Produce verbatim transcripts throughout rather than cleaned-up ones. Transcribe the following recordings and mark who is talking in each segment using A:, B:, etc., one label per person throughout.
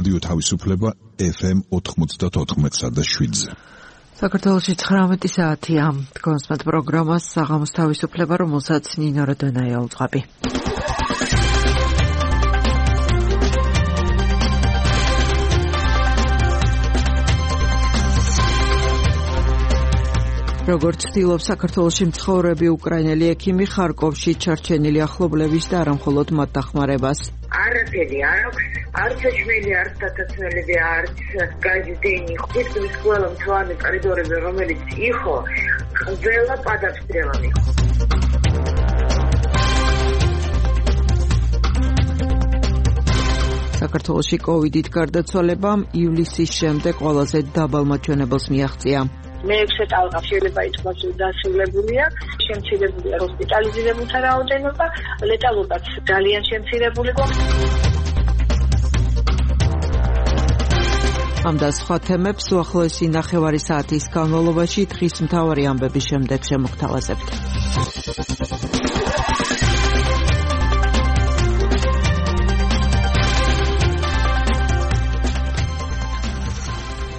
A: რადიო თავისუფლება ეფ ემ ოთხმოცდაოთხ და შვიდზე.
B: საქართველოში ცხრამეტი საათია. დგომსმათ პროგრამას საღამოს თავისუფლება, რომელსაც ნინო როდონაია უძღვები. როგორც ცდილობს საქართველოში მცხოვრები უკრაინელი ექიმი, ხარკოვში ჩარჩენილი ახლობლების და არა მხოლოდ მათ დახმარებას.
C: არაფერი არ აქვს, არც ეჭველი, არც დათაცმელები, არც გაიზდენი, ხვითის ყველა მწვანე კორიდორები, რომელიც იყო, ყველა პადაფსტრელანი.
B: საქართველოში კოვიდით გარდაცვალებამ ივლისის შემდეგ ყველაზე დაბალ მაჩვენებელს მიაღწია.
C: მეექვსე ტალღა შეიძლება ითქვას დასრულებულია, შემცირებულია ჰოსპიტალიზირებულთა რაოდენობა, ლეტალობაც ძალიან შემცირებული გვაქვს. ამ და სხვა თემებს უახლოესი ნახევარი საათის განმავლობაში დღის მთავარი ამბების შემდეგ შემოგთავაზებთ.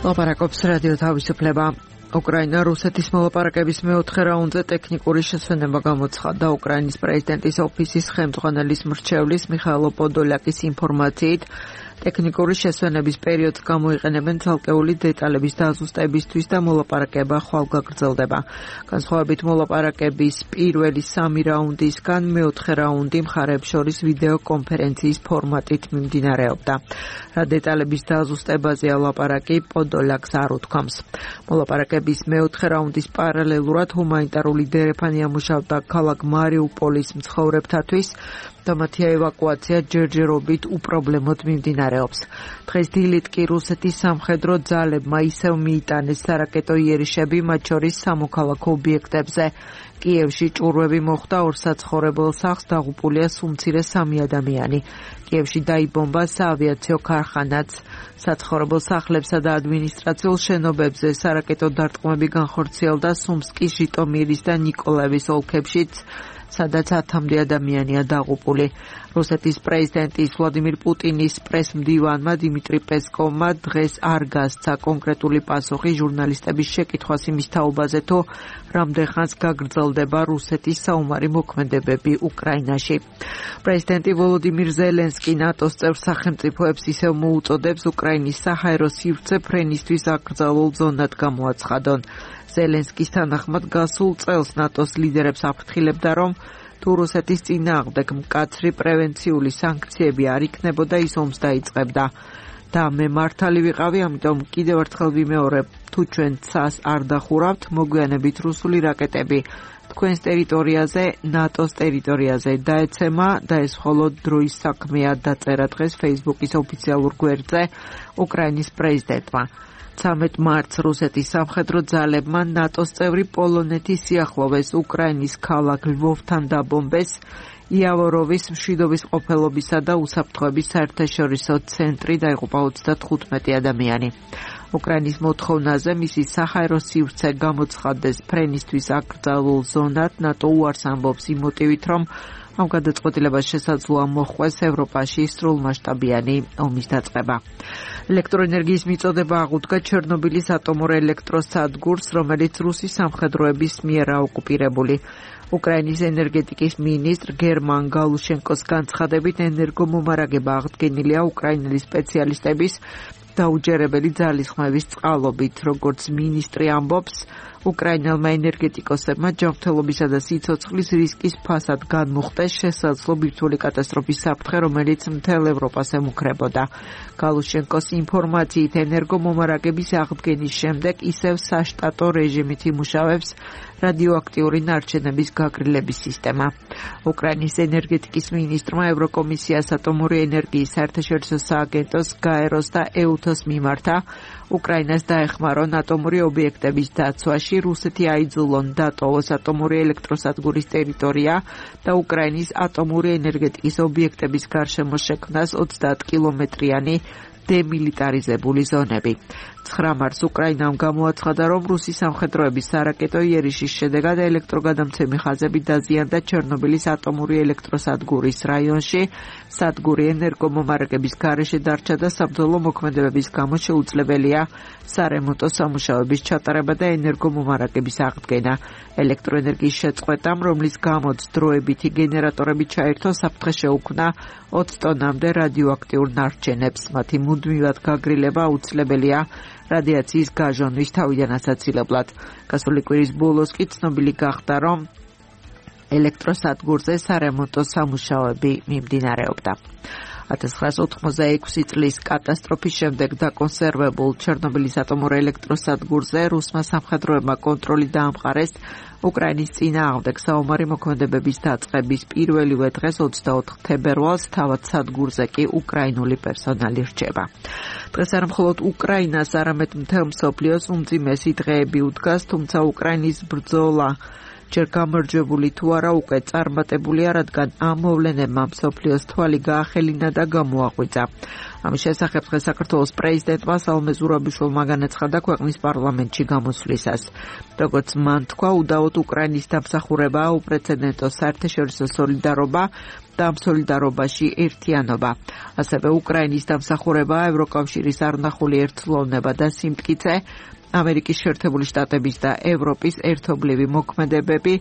C: ლაპარაკობს რადიო თავისუფლება. უკრაინა რუსეთის მოლაპარაკების მეოთხე რაუნდზე ტექნიკური შესვენება გამოცხადდა. უკრაინის პრეზიდენტის ოფისის ხელმძღვანელის მრჩევლის მიხაილო პოდოლაკის ინფორმაციით, ტექნიკური შესვენების პერიოდს გამოიყენებენ ცალკეული დეტალების დაზუსტებისთვის და მოლაპარაკება ხვალ გაგრძელდება. განსხვავებით მოლაპარაკების პირველი სამი რაუნდისგან, მეოთხე რაუნდი მხარეებს შორის ვიდეო კონფერენციის ფორმატით მიმდინარეობდა. რა დეტალების დაზუსტებაზეა ლაპარაკი, პოდოლაკს არ უთქვამს. მოლაპარაკების მეოთხე რაუნდის პარალელურად ჰუმანიტარული დერეფანი ამუშავდა ქალაქ მარიუპოლის მცხოვრებთათვის და მათი ევაკუაცია ჯერჯერობით უპრობლემოდ მიმდინარეობს. დღეს დილით კი რუსეთის სამხედრო ძალებმა ისევ მიიტანეს სარაკეტო იერიშები, მათ შორის სამოქალაქო ობიექტებზე. კიევში ჭურვები მოხდა ორ საცხოვრებელ სახლს, დაღუპულია სულ მცირე სამი ადამიანი. კიევში დაიბომბა საავიაციო ქარხანაც. საცხოვრებელ სახლებსა და ადმინისტრაციულ შენობებზე სარაკეტო დარტყმები განხორციელდა სუმსკის, ჟიტომირის და ნიკოლაევის ოლქებშიც, სადაც ათამდე ადამიანია დაღუპული. რუსეთის პრეზიდენტის ვლადიმირ პუტინის პრესმდივანმა დიმიტრი პესკოვმა დღეს არ გასცა კონკრეტული პასუხი ჟურნალისტების შეკითხვას იმის თაობაზე, თუ რამდენ ხანს გაგრძელდება რუსეთის საომარი მოქმედებები უკრაინაში. პრეზიდენტი ვოლოდიმირ ზელენსკი ნატოს წევრ სახელმწიფოებს ისევ მოუწოდებს უკრაინის საჰაერო სივრცე ფრენისთვის აკრძალულ ზონად გამოაცხადონ. ზელენსკის თანახმად გასულ წელს ნატოს ლიდერებს აფრთხილებდა, რომ თუ რუსეთის წინააღმდეგ მკაცრი პრევენციული სანქციები არ იქნებოდა, ის ომს დაიწყებდა. და მე მართალი ვიყავი, ამიტომ კიდევ ერთხელ ვიმეორებ, თუ ჩვენ ცას არ დახურავთ, მოგვიანებით რუსული რაკეტები თქვენს ტერიტორიაზე, ნატოს ტერიტორიაზე დაეცემა და ეს მხოლოდ დროის საქმეა, დაწერა დღეს Facebook-ის ოფიციალურ გვერდზე უკრაინის პრეზიდენტმა. ცამეტ მარტს რუსეთის სამხედრო ძალებმა ნატოს წევრი პოლონეთის სიახლოვეს უკრაინის ქალაქ ლვოვთან დაბომბეს იავოროვის მშვიდობის ყოფილობისა და უსაფრთხოების საერთაშორისო ცენტრი, დაიღუპა ოცდათხუთმეტი ადამიანი. უკრაინის მოთხოვნაზე მისი საჰაერო სივრცე გამოცხადდეს ფრენისთვის აკრძალულ ზონად, ნატო უარს ამბობს იმ მოტივით, რომ ამ გადაწყვეტილებას შესაძლოა მოჰყვეს ევროპაში სრულმასშტაბიანი ომის დაწყება. ელექტროენერგიის მიწოდება აღუდგა ჩერნობილის ატომურ ელექტროსადგურს, რომელიც რუსის სამხედროების მიერ ოკუპირებული. უკრაინის ენერგეტიკის მინისტრ გერმან გალუშენკოს განცხადებით, ენერგომომარაგება აღდგენილია უკრაინელი სპეციალისტების დაუჯერებელი ძალისხმევის წყალობით. როგორც მინისტრი ამბობს, უკრაინელმა ენერგეტიკოსებმა ჯანმრთელობისა და სიცოცხლის რისკის ფასად განმუხტეს შესაძლო ბირთვული კატასტროფის საფრთხე, რომელიც მთელ ევროპას ემუქრებოდა. გალუშენკოს ინფორმაციით, ენერგომომარაგების აღდგენის შემდეგ ისევ საშტატო რეჟიმით იმუშავებს რადიოაქტიური ნარჩენების გაგრილების სისტემა. უკრაინის ენერგეტიკის მინისტრმა ევროკომისიას, ატომური ენერგიის საერთაშორისო სააგენტოს, გაეროს და ეუთოს მიმართა უკრაინას დაეხმარონ ატომური ობიექტების დაცვაში, რუსეთი აიძულონ დატოვოს ატომური ელექტროსადგურის ტერიტორია და უკრაინის ატომური ენერგეტიკის ობიექტების გარშემო შექმნას ოცდაათ კილომეტრიანი დემილიტარიზებული ზონები. ცხრა მარტს უკრაინამ გამოაცხადა, რომ რუსი სამხედროების სარაკეტო იერიშის შედეგად ელექტროგადამცემი ხაზები დაზიანდა ჩერნობილის ატომური ელექტროსადგურის რაიონში. სადგური ენერგომომარაგების გარეშე დარჩა და საბრძოლო მოქმედებების გამო შეუძლებელია სარემონტო სამუშაოების ჩატარება და ენერგომომარაგების აღდგენა. ელექტროენერგიის შეწყვეტამ, რომლის გამოც დროებითი გენერატორები ჩაერთო, საფრთხე შეუქმნა ოცი ტონამდე რადიოაქტიურ ნარჩენებს. მათი მუდმივად გაგრილება აუცილებელია რადიაციის გაჟონვის თავიდან ასაცილებლად. გასული კვირის ბოლოს კი ცნობილი გახდა, რომ ელექტროსადგურზე სარემონტო სამუშაოები მიმდინარეობდა. ათას ცხრაას ოთხმოცდაექვსი წლის კატასტროფის შემდეგ დაკონსერვებულ ჩერნობილის ატომურ ელექტროსადგურზე რუსმა სამხედროებმა კონტროლი დაამყარეს. უკრაინის წინააღმდეგ საომარი მოქმედებების დაწყების პირველივე დღეს ოცდაოთხ თებერვალს თავად სადგურზე კი უკრაინული პერსონალი რჩება. დღეს არა მხოლოდ უკრაინას, არამედ მთელ მსოფლიოს უმძიმესი დღეები უდგას, თუმცა უკრაინის ბრძოლა ჯერ გამარჯვებული თუ არა უკვე წარმატებულია, რადგან ამ მოვლენებმა მსოფლიოს თვალი გაახელინა და გამოაღვიძა. ამის შესახებ დღეს საქართველოს პრეზიდენტმა სალომე ზურაბიშვილმა განაცხადა ქვეყნის პარლამენტში გამოსვლისას. როგორც მან თქვა, უდაოდ უკრაინის დამსახურება, უპრეცედენტო საერთაშორისო სოლიდარობა და ამ სოლიდარობაში ერთიანობა. ასევე უკრაინის დამსახურება, ევროკავშირის არნახული ერთლოვნება და სიმტკიცე, ამერიკის შეერთებული შტატების და ევროპის ერთობლივი მოქმედებები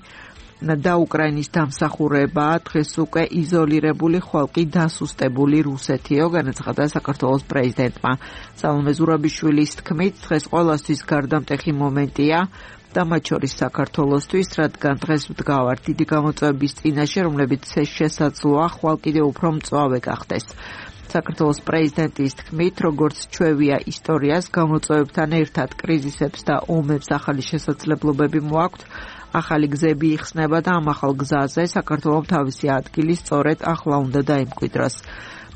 C: და უკრაინის დამსახურება დღეს უკვე იზოლირებული ხვალკი დასუსტებული რუსეთიო, განაცხადა საქართველოს პრეზიდენტმა. სალომე ზურაბიშვილის თქმით, დღეს ყველასთვის გარდამტეხი მომენტია და მათ შორის საქართველოსთვის, რადგან დღეს ვდგავართ დიდი გამოწვევების წინაშე, რომლებიც შესაძლოა ხვალ კიდევ უფრო მწვავე გახდეს. საქართველოს პრეზიდენტის თქმით, როგორც ჩვევია ისტორიას, გამოწვევებთან ერთად კრიზისებს და ომებს ახალი შესაძლებლობები მოაქვთ, ახალი გზები იხსნება და ამ ახალ გზაზე საქართველოს თავისი ადგილი სწორედ ახლა უნდა დაიმკვიდროს.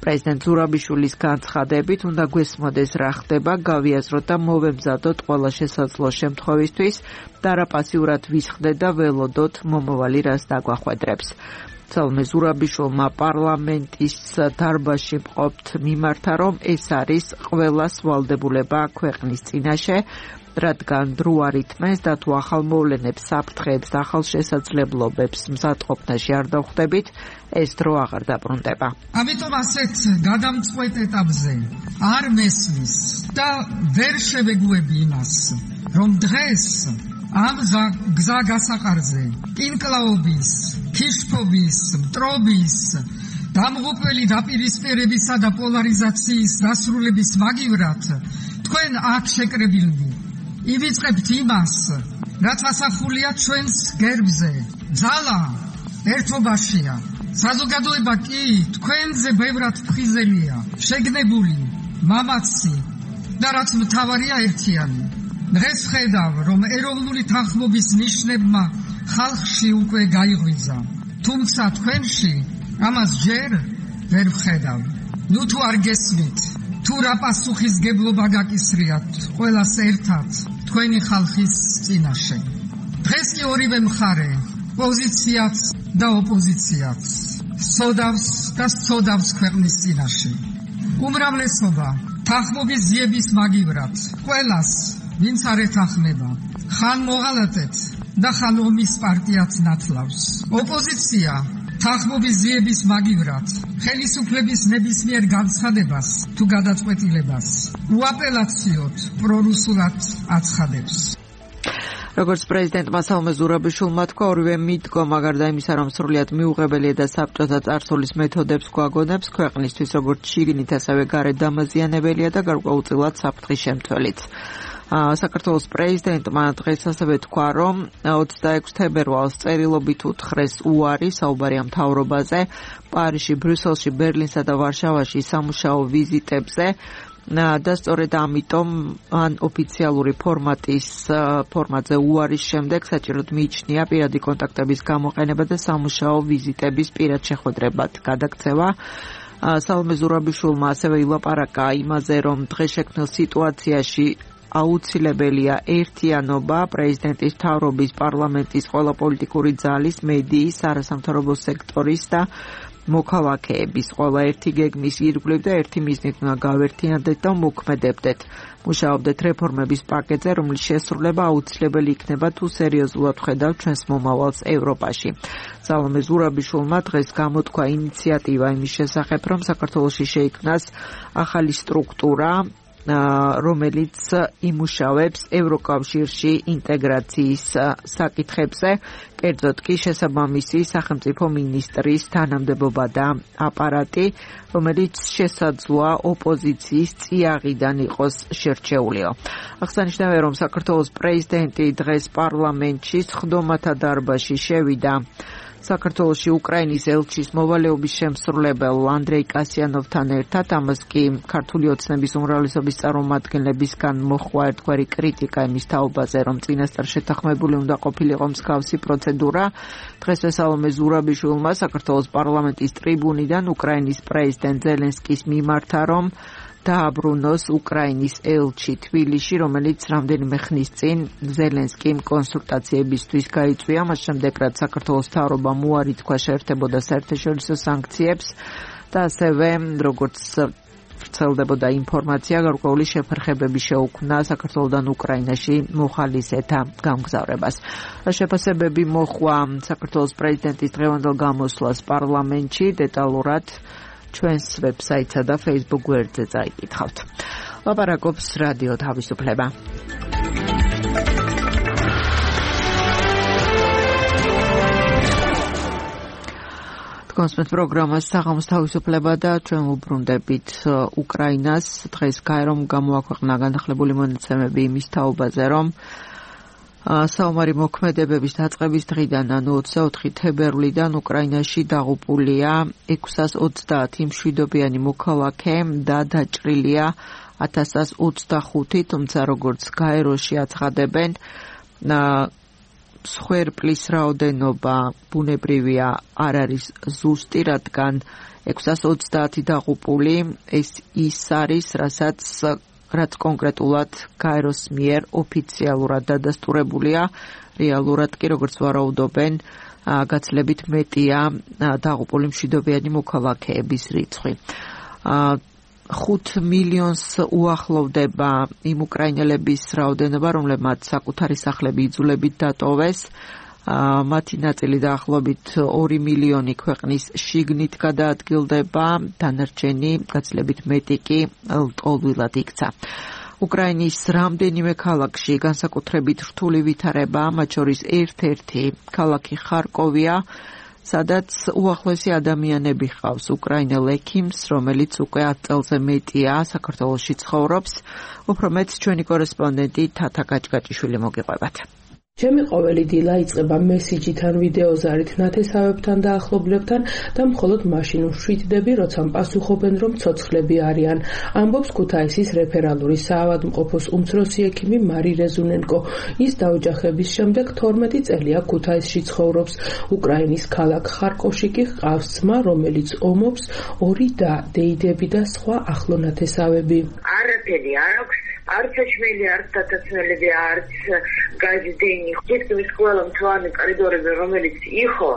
C: პრეზიდენტ ზურაბიშვილის განცხადებით, უნდა გვესმოდეს რა ხდება, გავიაზროთ და მოვემზადოთ ყველა შესაძლო შემთხვევისთვის და რა პასიურად ვისხდეთ და ველოდოთ მომავალი რას დაგვახვედრებს. სალომე ზურაბიშვილმა პარლამენტის დარბაზში მყოფთ მიმართა, რომ ეს არის ყველა სვალდებულება ქვეყნის წინაშე, რადგან დრო არ ითმეს და თუ ახალ მოვლენებს, საფრთხეებს და ახალ შესაძლებლობებს მზადყოფნაში არ დავხვდებით, ეს დრო აღარ დაბრუნდება.
D: ამიტომ ასეთ გადამწყვეტ ეტაპზე არ მესმის და ვერ შევეგუები იმას, რომ დღეს ამ გზა გასაყარზე კინკლაობის, ქიშფობის, მტრობის, დამღუპველი დაპირისპირებისა და პოლარიზაციის დასრულების მაგივრად თქვენ აქ შეკრებილნი ივიწყებთ იმას, რაც ასახულია ჩვენს გერბზე. ძალა ერთობაშია. საზოგადოება კი თქვენზე ბევრად ფხიზელია, შეგნებული, მამაცი და რაც მთავარია ერთიანი. დღეს ხედავ, რომ ეროვნული თანხმობის ნიშნებმა ხალხში უკვე გაიღვიძა. თუმცა თქვენში ამას ჯერ ვერ ვხედავ. ნუ თუ არ გესმით, თუ რა პასუხისგებლობა გაკისრიათ ყველას ერთად თქვენი ხალხის წინაშე. დღეს კი ორივე მხარე, პოზიციაც და ოპოზიციაც, სოდავს და სწოდავს ქვეყნის წინაშე. უმრავლესობა თანხმობის ძიების მაგივრად ყველას, ვინც არ ეთანხმება, ხან მოღალატეთ და ხან ომის პარტიაც ნათლავს. ოპოზიცია თანხმობის ძიების მაგივრად ხელისუფლების ნებისმიერ განცხადებას თუ გადაწყვეტილებას უაპელაციოდ პრორუსულად აცხადებს.
C: როგორც პრეზიდენტმა სალომე ზურაბიშვილმა თქვა, ორივე მიდგომა გარდა იმისა, რომ სრულიად მიუღებელია და საბჭოთა წარსულის მეთოდებს გვაგონებს, ქვეყნისთვის როგორც შიგნით, ასევე გარეთ დამაზიანებელია და გარკვეულწილად საფრთხის შემცველიც. საქართველოს პრეზიდენტმა დღეს ასევე თქვა, რომ ოცდაექვსი თებერვალს წერილობით უთხრეს უარი საუბარია მთავრობაზე, პარიზში, ბრიუსელში, ბერლინსა და ვარშავაში სამუშაო ვიზიტებზე და სწორედ ამიტომ ან ოფიციალური ფორმატის ფორმატზე უარის შემდეგ საჭიროდ მიიჩნია პირადი კონტაქტების გამოყენება და სამუშაო ვიზიტების პირად შეხვედრებად გადაქცევა. სალომე ზურაბიშვილმა ასევე ილაპარაკა იმაზე, რომ დღეს შექმნილ სიტუაციაში აუცილებელია ერთიანობა პრეზიდენტის მთავრობის, პარლამენტის, ყველა პოლიტიკური ძალის, მედიის, არასამთავრობო სექტორის და მოქალაქეების ყველა ერთი გეგმის ირგვლივ და ერთი მიზნით უნდა გავერთიანდეთ და მოქმედებდეთ. მუშაობდეთ რეფორმების პაკეტზე, რომლის შესრულება აუცილებელი იქნება თუ სერიოზულად ვხედავთ ჩვენს მომავალს ევროპაში. სალომე ზურაბიშვილმა დღეს გამოთქვა ინიციატივა იმის შესახებ, რომ საქართველოში შეიქმნას ახალი სტრუქტურა, რომელიც იმუშავებს ევროკავშირში ინტეგრაციის საკითხებზე, კერძოდ კი შესაბამისი სახელმწიფო მინისტრის თანამდებობა და აპარატი, რომელიც შესაძლოა ოპოზიციის წიაღიდან იყოს შერჩეულიო. აღსანიშნავია, რომ საქართველოს პრეზიდენტი დღეს პარლამენტში სხდომათა დარბაზში შევიდა საქართველოში უკრაინის ელჩის მოვალეობის შემსრულებელ ანდრეი კასიანოვთან ერთად, ამას კი ქართული ოცნების უმრავლესობის წარმომადგენლებისგან მოჰყვა ერთგვარი კრიტიკა იმის თაობაზე, რომ წინასწარ შეთანხმებული უნდა ყოფილიყო მსგავსი პროცედურა. დღეს სალომე ზურაბიშვილმა საქართველოს პარლამენტის ტრიბუნიდან უკრაინის პრეზიდენტ ზელენსკის მიმართა, რომ დააბრუნოს უკრაინის ელჩი თბილისში, რომელიც რამდენიმე ხნის წინ ზელენსკიმ კონსულტაციებისთვის გაიწვია, მას შემდეგ რაც საქართველოს მთავრობამ უარი თქვა შეერთებოდა საერთაშორისო სანქციებს და ასევე როგორც ვრცელდებოდა ინფორმაცია, გარკვეული შეფერხებები შეუქმნა საქართველოდან უკრაინაში მოხალისეთა გამგზავრებას. შეფასებები მოჰყვა საქართველოს პრეზიდენტის დღევანდელ გამოსვლას პარლამენტში, დეტალურად ჩვენს ვებსაიტსა და Facebook გვერდზე წაიკითხავთ. ლაპარაკობს რადიო თავისუფლება. კონსპექტ პროგრამას საღამოს თავისუფლება და ჩვენ უბრუნდებით უკრაინას. დღეს გაერომ გამოაქვეყნა განახლებული მონაცემები იმის თაობაზე, რომ საომარი მოქმედებების დაწყების დღიდან, ანუ ოცდაოთხი თებერვლიდან უკრაინაში დაღუპულია ექვსას ოცდაათი მშვიდობიანი მოქალაქე და დაჭრილია ათასას ოცდახუთი, თუმცა როგორც გაეროში აცხადებენ, მსხვერპლის რაოდენობა ბუნებრივია არ არის ზუსტი, რადგან ექვსას ოცდაათი დაღუპული ეს ის არის, რასაც რაც კონკრეტულად გაეროს მიერ ოფიციალურად დადასტურებულია, რეალურად კი როგორც ვარაუდობენ, გაცილებით მეტია დაღუპული მშვიდობიანი მოქალაქეების რიცხვი. ხუთ მილიონს უახლოვდება იმ უკრაინელების რაოდენობა, რომლებმაც საკუთარი სახლები იძულებით დატოვეს. მათი ნაწილი დაახლოებით ორი მილიონი ქვეყნის შიგნით გადაადგილდება, დანარჩენი გაცილებით მეტი კი ლტოლვილად იქცა. უკრაინის რამდენიმე ქალაქში განსაკუთრებით რთული ვითარება, მათ შორის ერთ-ერთი ქალაქი ხარკოვია, სადაც უახლოესი ადამიანები ჰყავს უკრაინელ ექიმს, რომელიც უკვე ათ წელზე მეტია საქართველოში ცხოვრობს. უფრო მეტს ჩვენი კორესპონდენტი თათა გაჭგაჭიშვილი მოგიყვებათ.
E: ჩემი ყოველი დილა იწყება მესიჯით ან ვიდეოზარით ნათესავებთან და ახლობლებთან და მხოლოდ მაშინ ვშვიდდები, როცა პასუხობენ, რომ ცოცხლები არიან, ამბობს ქუთაისის რეფერალური საავადმყოფოს უმცროსი ექიმი მარი რეზუნენკო. ის დაოჯახების შემდეგ თორმეტი წელია ქუთაისში ცხოვრობს. უკრაინის ქალაქ ხარკოვში კი ჰყავს ძმა, რომელიც ომობს, ორი და, დეიდები და სხვა ახლო ნათესავები.
F: არაფერი არ აქვს. არც ეშმელი, არც დათაცმელები, არც გაჯდენი. თითქმის ყველა მწვანე კორიდორები, რომელიც იყო,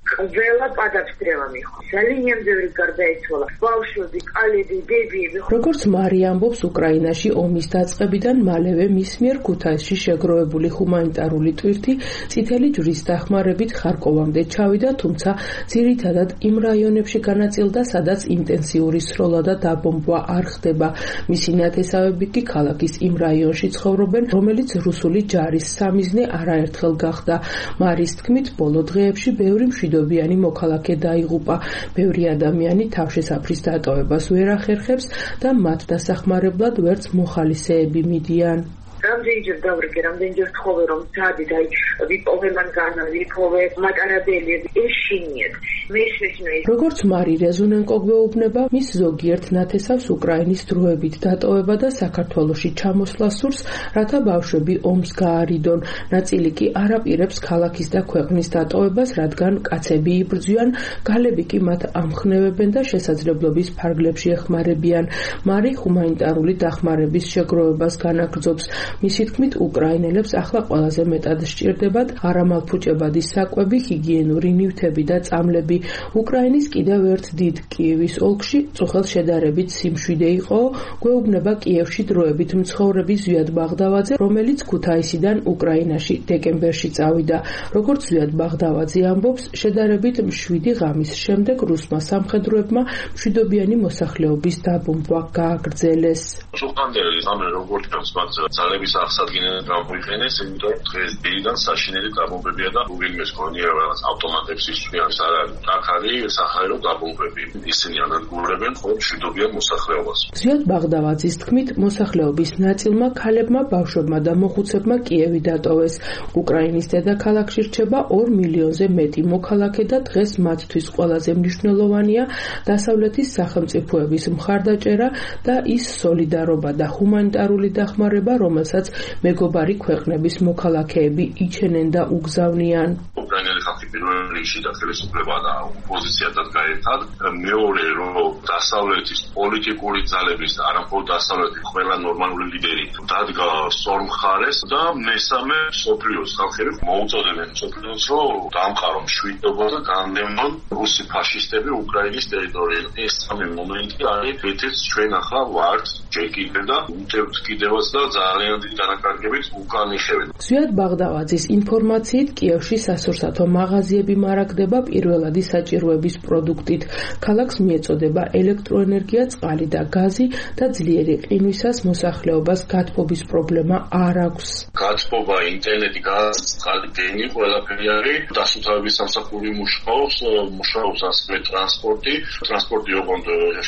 F: ყველა პადაფსტრელა მიხო. ძალიან ბევრი გარდაიცვალა. ბავშვები, კალები, ბებიები.
E: როგორც მარი ამბობს, უკრაინაში ომის დაწყებიდან მალევე მის მიერ ქუთაისში შეგროვებული ჰუმანიტარული ტვირთი წითელი ჯვრის დახმარებით ხარკოვამდე ჩავიდა, თუმცა ძირითადად იმ რაიონებში განაწილდა, სადაც ინტენსიური სროლა და დაბომბვა არ ხდება. მისი ნათესავები კი ქალაქის იმ რაიონში ცხოვრობენ, რომელიც რუსული ჯარის სამიზნე არაერთხელ გახდა. მარის თქმით, ბოლო დღეებში ბევრი მშვიდობიანი მოქალაქე დაიღუპა. ბევრი ადამიანი თავშესაფრის დატოვებას ვერ ახერხებს და მათ დასახმარებლად ვერც მოხალისეები მიდიან.
F: რამდენჯერ დავრიგე, რამდენჯერ თხოვე, რომ სადით, აი, ვიპოვე მანგანა, ვიპოვე მატარებელი, ეშინიეთ. მესმის
E: როგორც მარი რეზუნენკო გვეუბნება, მის ზოგიერთ ნათესავს უკრაინის დროებით დატოვება და საქართველოში ჩამოსვლა სურს, რათა ბავშვები ომს გაარიდონ. ნაწილი კი არ აპირებს ქალაქის და ქვეყნის დატოვებას, რადგან კაცები იბრძვიან, გალები კი მათ ამხნევებენ და შესაძლებლობის ფარგლებში ეხმარებიან. მარი ჰუმანიტარული დახმარების შეგროვებას განაგრძობს. მისი თქმით, უკრაინელებს ახლა ყველაზე მეტად სჭირდებათ არამალფუჭებადი საკვები, ჰიგიენური ნივთები და წამლები. უკრაინის კიდევ ერთ დიდ კიევის ოლქში წუხელ შედარებით სიმშვიდე იყო, გვეუბნება კიევში დროებით მცხოვრები ზვიად ბაღდავაძე, რომელიც ქუთაისიდან უკრაინაში დეკემბერში წავიდა. როგორც ზვიად ბაღდავაძე ამბობს, შედარებით მშვიდი ღამის შემდეგ რუსმა სამხედროებმა მშვიდობიანი მოსახლეობის დაბომბვა გააგრძელეს.
G: სულხანდელი ზამე როგორც მათ ძალების აღსადგენად გამოიყენეს, იმიტომ რომ დღეს დილიდან საშინელი დაბომბებია და უგინმეს გონია რაღაც ავტომატებს ისწრიან სარალი. აქ არის სახაერო დაბომბები. ისინი ანადგურებენ მხოლოდ მშვიდობიან მოსახლეობას.
E: ზვიად ბაღდავაძის თქმით, მოსახლეობის ნაწილმა ქალებმა, ბავშვებმა და მოხუცებმა კიევი დატოვეს. უკრაინის დედაქალაქში რჩება ორ მილიონზე მეტი მოქალაქე და დღეს მათთვის ყველაზე მნიშვნელოვანია დასავლეთის სახელმწიფოების მხარდაჭერა და ის სოლიდარობა და ჰუმანიტარული დახმარება, რომელსაც მეგობარი ქვეყნების მოქალაქეები იჩენენ და უგზავნიან.
G: უკრაინელი ხალხი პირველ რიგში და ხელისუფლება და ოპოზიციადაც გაერთად, მეორე რომ დასავლეთის პოლიტიკური ძალების და არამხოლოდ დასავლეთის ყველა ნორმალური ლიდერი დადგა სწორ მხარეს და მესამე მსოფლიოს ხალხები მოუწოდებენ მსოფლიოს რომ დაამყარო მშვიდობა და განდევნონ რუსი ფაშისტები უკრაინის ტერიტორიაზე. ეს სამი მომენტი არის ერთ-ერთი ჩვენ ახლა ვართ ჯერ კიდევ და უტევთ კიდევაც და ძალიან დიდი დანაკარგებით უკან იხევენ.
E: ზვიად ბაღდავაძის ინფორმაციით კიევში სასურსათო მაღაზიები მარაგდება პირველადი საჭიროების პროდუქტით. ქალაქს მიეწოდება ელექტროენერგია, წყალი და გაზი და ძლიერი ყინვისას მოსახლეობას გათბობის პრობლემა არ აქვს.
G: გათბობა, ინტერნეტი, გაზი, წყალი, დენი, ყველაფერი არის. დასუფთავების სამსახური მუშაობს, მუშაობს ასევე ტრანსპორტი. ტრანსპორტი ოღონდ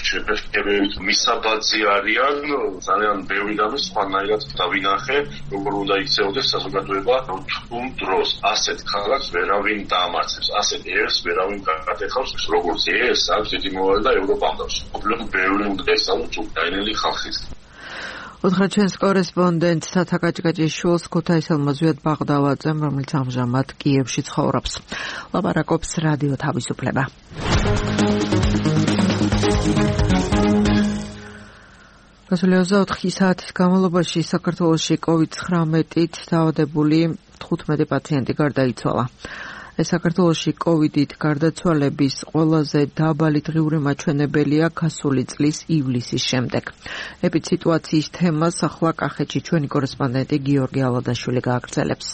G: შეფერხებით მისაბაძი არიან, ძალიან ბევრი და სხვანაირად დავინახე, როგორ უნდა იქცეოდეს საზოგადოება რთულ დროს. ასეთ ქალაქს ვერავინ დაამარცხებს, ასეთ ერს ვერავინ გაკეთებს, როგორც ეს აქვს დიდი მოვალე და ევროპამდე. პრობლემა ბევრი უნდა ესწავლოს უკრაინელი ხალხის.
C: უთხრა ჩვენს კორესპონდენტ სათა კაჭკაჭის შულს ქუთაისელმა ზვიად ბაღდავაძემ, რომელიც ამჟამად კიევში ცხოვრობს. ლაპარაკობს რადიო თავისუფლება. გასული ოცდაოთხი საათის განმავლობაში საქართველოში კოვიდ ცხრამეტით დაავადებული თხუთმეტი პაციენტი გარდაიცვალა. ეს საქართველოში კოვიდით გარდაცვალების ყველაზე დაბალი დღიური მაჩვენებელია გასული წლის ივლისის შემდეგ. ეპიდსიტუაციის თემას ახლა კახეთში ჩვენი კორესპონდენტი გიორგი ალადაშვილი გააგრძელებს.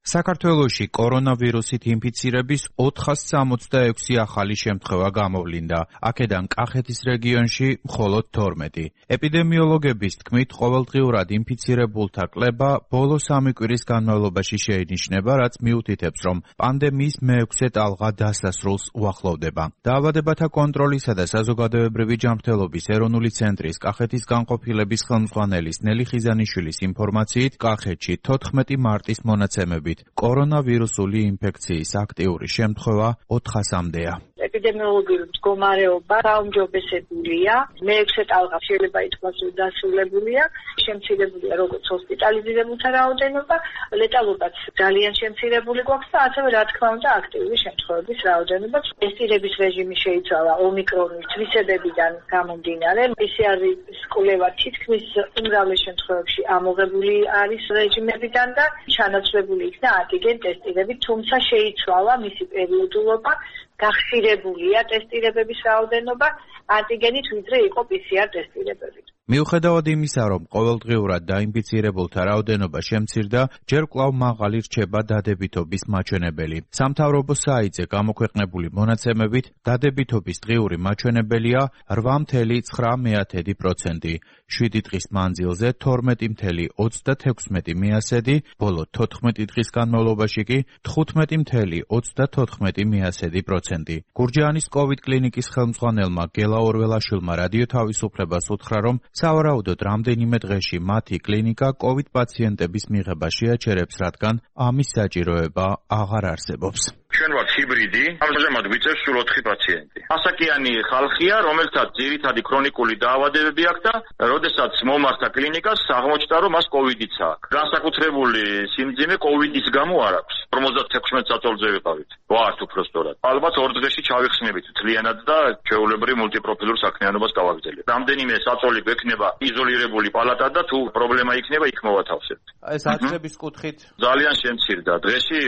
H: საქართველოში კორონავირუსით ინფიცირების ოთხას სამოცდაექვსი ახალი შემთხვევა გამოვლინდა. აქედან კახეთის რეგიონში მხოლოდ თორმეტი. ეპიდემიოლოგების თქმით, ყოველდღიურად ინფიცირებულთა კლება ბოლო სამი კვირის განმავლობაში შეინიშნება, რაც მიუთითებს, რომ პანდემიის მეექვსე ტალღა დასასრულს უახლოვდება. დაავადებათა კონტროლისა და საზოგადოებრივი ჯანმრთელობის ეროვნული ცენტრის კახეთის განყოფილების ხელმძღვანელის ნელი ხიზანიშვილის ინფორმაციით, კახეთში თოთხმეტი მარტის მონაცემებით კორონავირუსული ინფექციის აქტიური შემთხვევა ოთხასამდეა.
I: ეპიდემიოლოგიური მდგომარეობა გაუმჯობესებულია, მეექვსე ტალღა შეიძლება ითქვას, რომ დასრულებულია, შემცირებულია როგორც ჰოსპიტალიზირებულთა რაოდენობა, ლეტალობაც ძალიან შემცირებული გვაქვს და ასევე რა თქმა უნდა აქტიური შემთხვევების რაოდენობა. ტესტირების რეჟიმი შეიცვალა ომიკრონის თვისებებიდან გამომდინარე. პი სი არის კვლევა თითქმის უმრავლეს შემთხვევებში ამოღებული არის რეჟიმებიდან და ჩანაცვლებული იქნა ანტიგენ ტესტირებით, თუმცა შეიცვალა მისი პერიოდულობა, გახშირებულია ტესტირებების რაოდენობა ანტიგენით ვიდრე იყო პი სი არ ტესტირებებით.
H: მიუხედავად იმისა, რომ ყოველდღიურად დაინფიცირებულთა რაოდენობა შემცირდა, ჯერ კვლავ მაღალი რჩება დადებითობის მაჩვენებელი. სამთავრობო საიტზე გამოქვეყნებული მონაცემებით, დადებითობის დღიური მაჩვენებელია რვა ფاصლე ცხრა პროცენტი, შვიდი დღის მანძილზე თორმეტი ფاصლე ოცდათექვსმეტი მიასედი, ბოლო თოთხმეტი დღის განმავლობაში კი თხუთმეტი ფاصლე ოცდათოთხმეტი მიასედი პროცენტი. გურჯაანის კოვიდ კლინიკის ხელმძღვანელმა გელა ორველაშვილმა რადიო თავისუფლებას უთხრა, რომ სავარაუდოდ რამდენიმე დღეში მათი კლინიკა კოვიდ პაციენტების მიღებას შეაჩერებს, რადგან ამის საჭიროება აღარ არსებობს.
J: ჩვენ ვართ ჰიბრიდი, ამჟამად გვიწევს სულ ოთხი პაციენტი. ასაკიანი ხალხია, რომელთაც ძირითადი ქრონიკული დაავადებები აქვს და როდესაც მომართა კლინიკას, აღმოჩნდა, რომ მას კოვიდიც აქვს. განსაკუთრებული სიმძიმე კოვიდის გამო არ აქვს. ორმოცდათექვსმეტ საწოლზე ვიყავით. ვართ უფრო სწორად. ალბათ ორ დღეში ჩავიხსნებით თლიანად და ჩვეულებრივ მულტიპროფილურ საქმიანობას გავაგრძელებთ. რამდენიმე საწოლი გვექნება იზოლირებული პალატა და თუ პრობლემა იქნება, იქ მოვათავსებთ.
H: ეს აცდების კუთხით
J: ძალიან შემცირდა. დღეში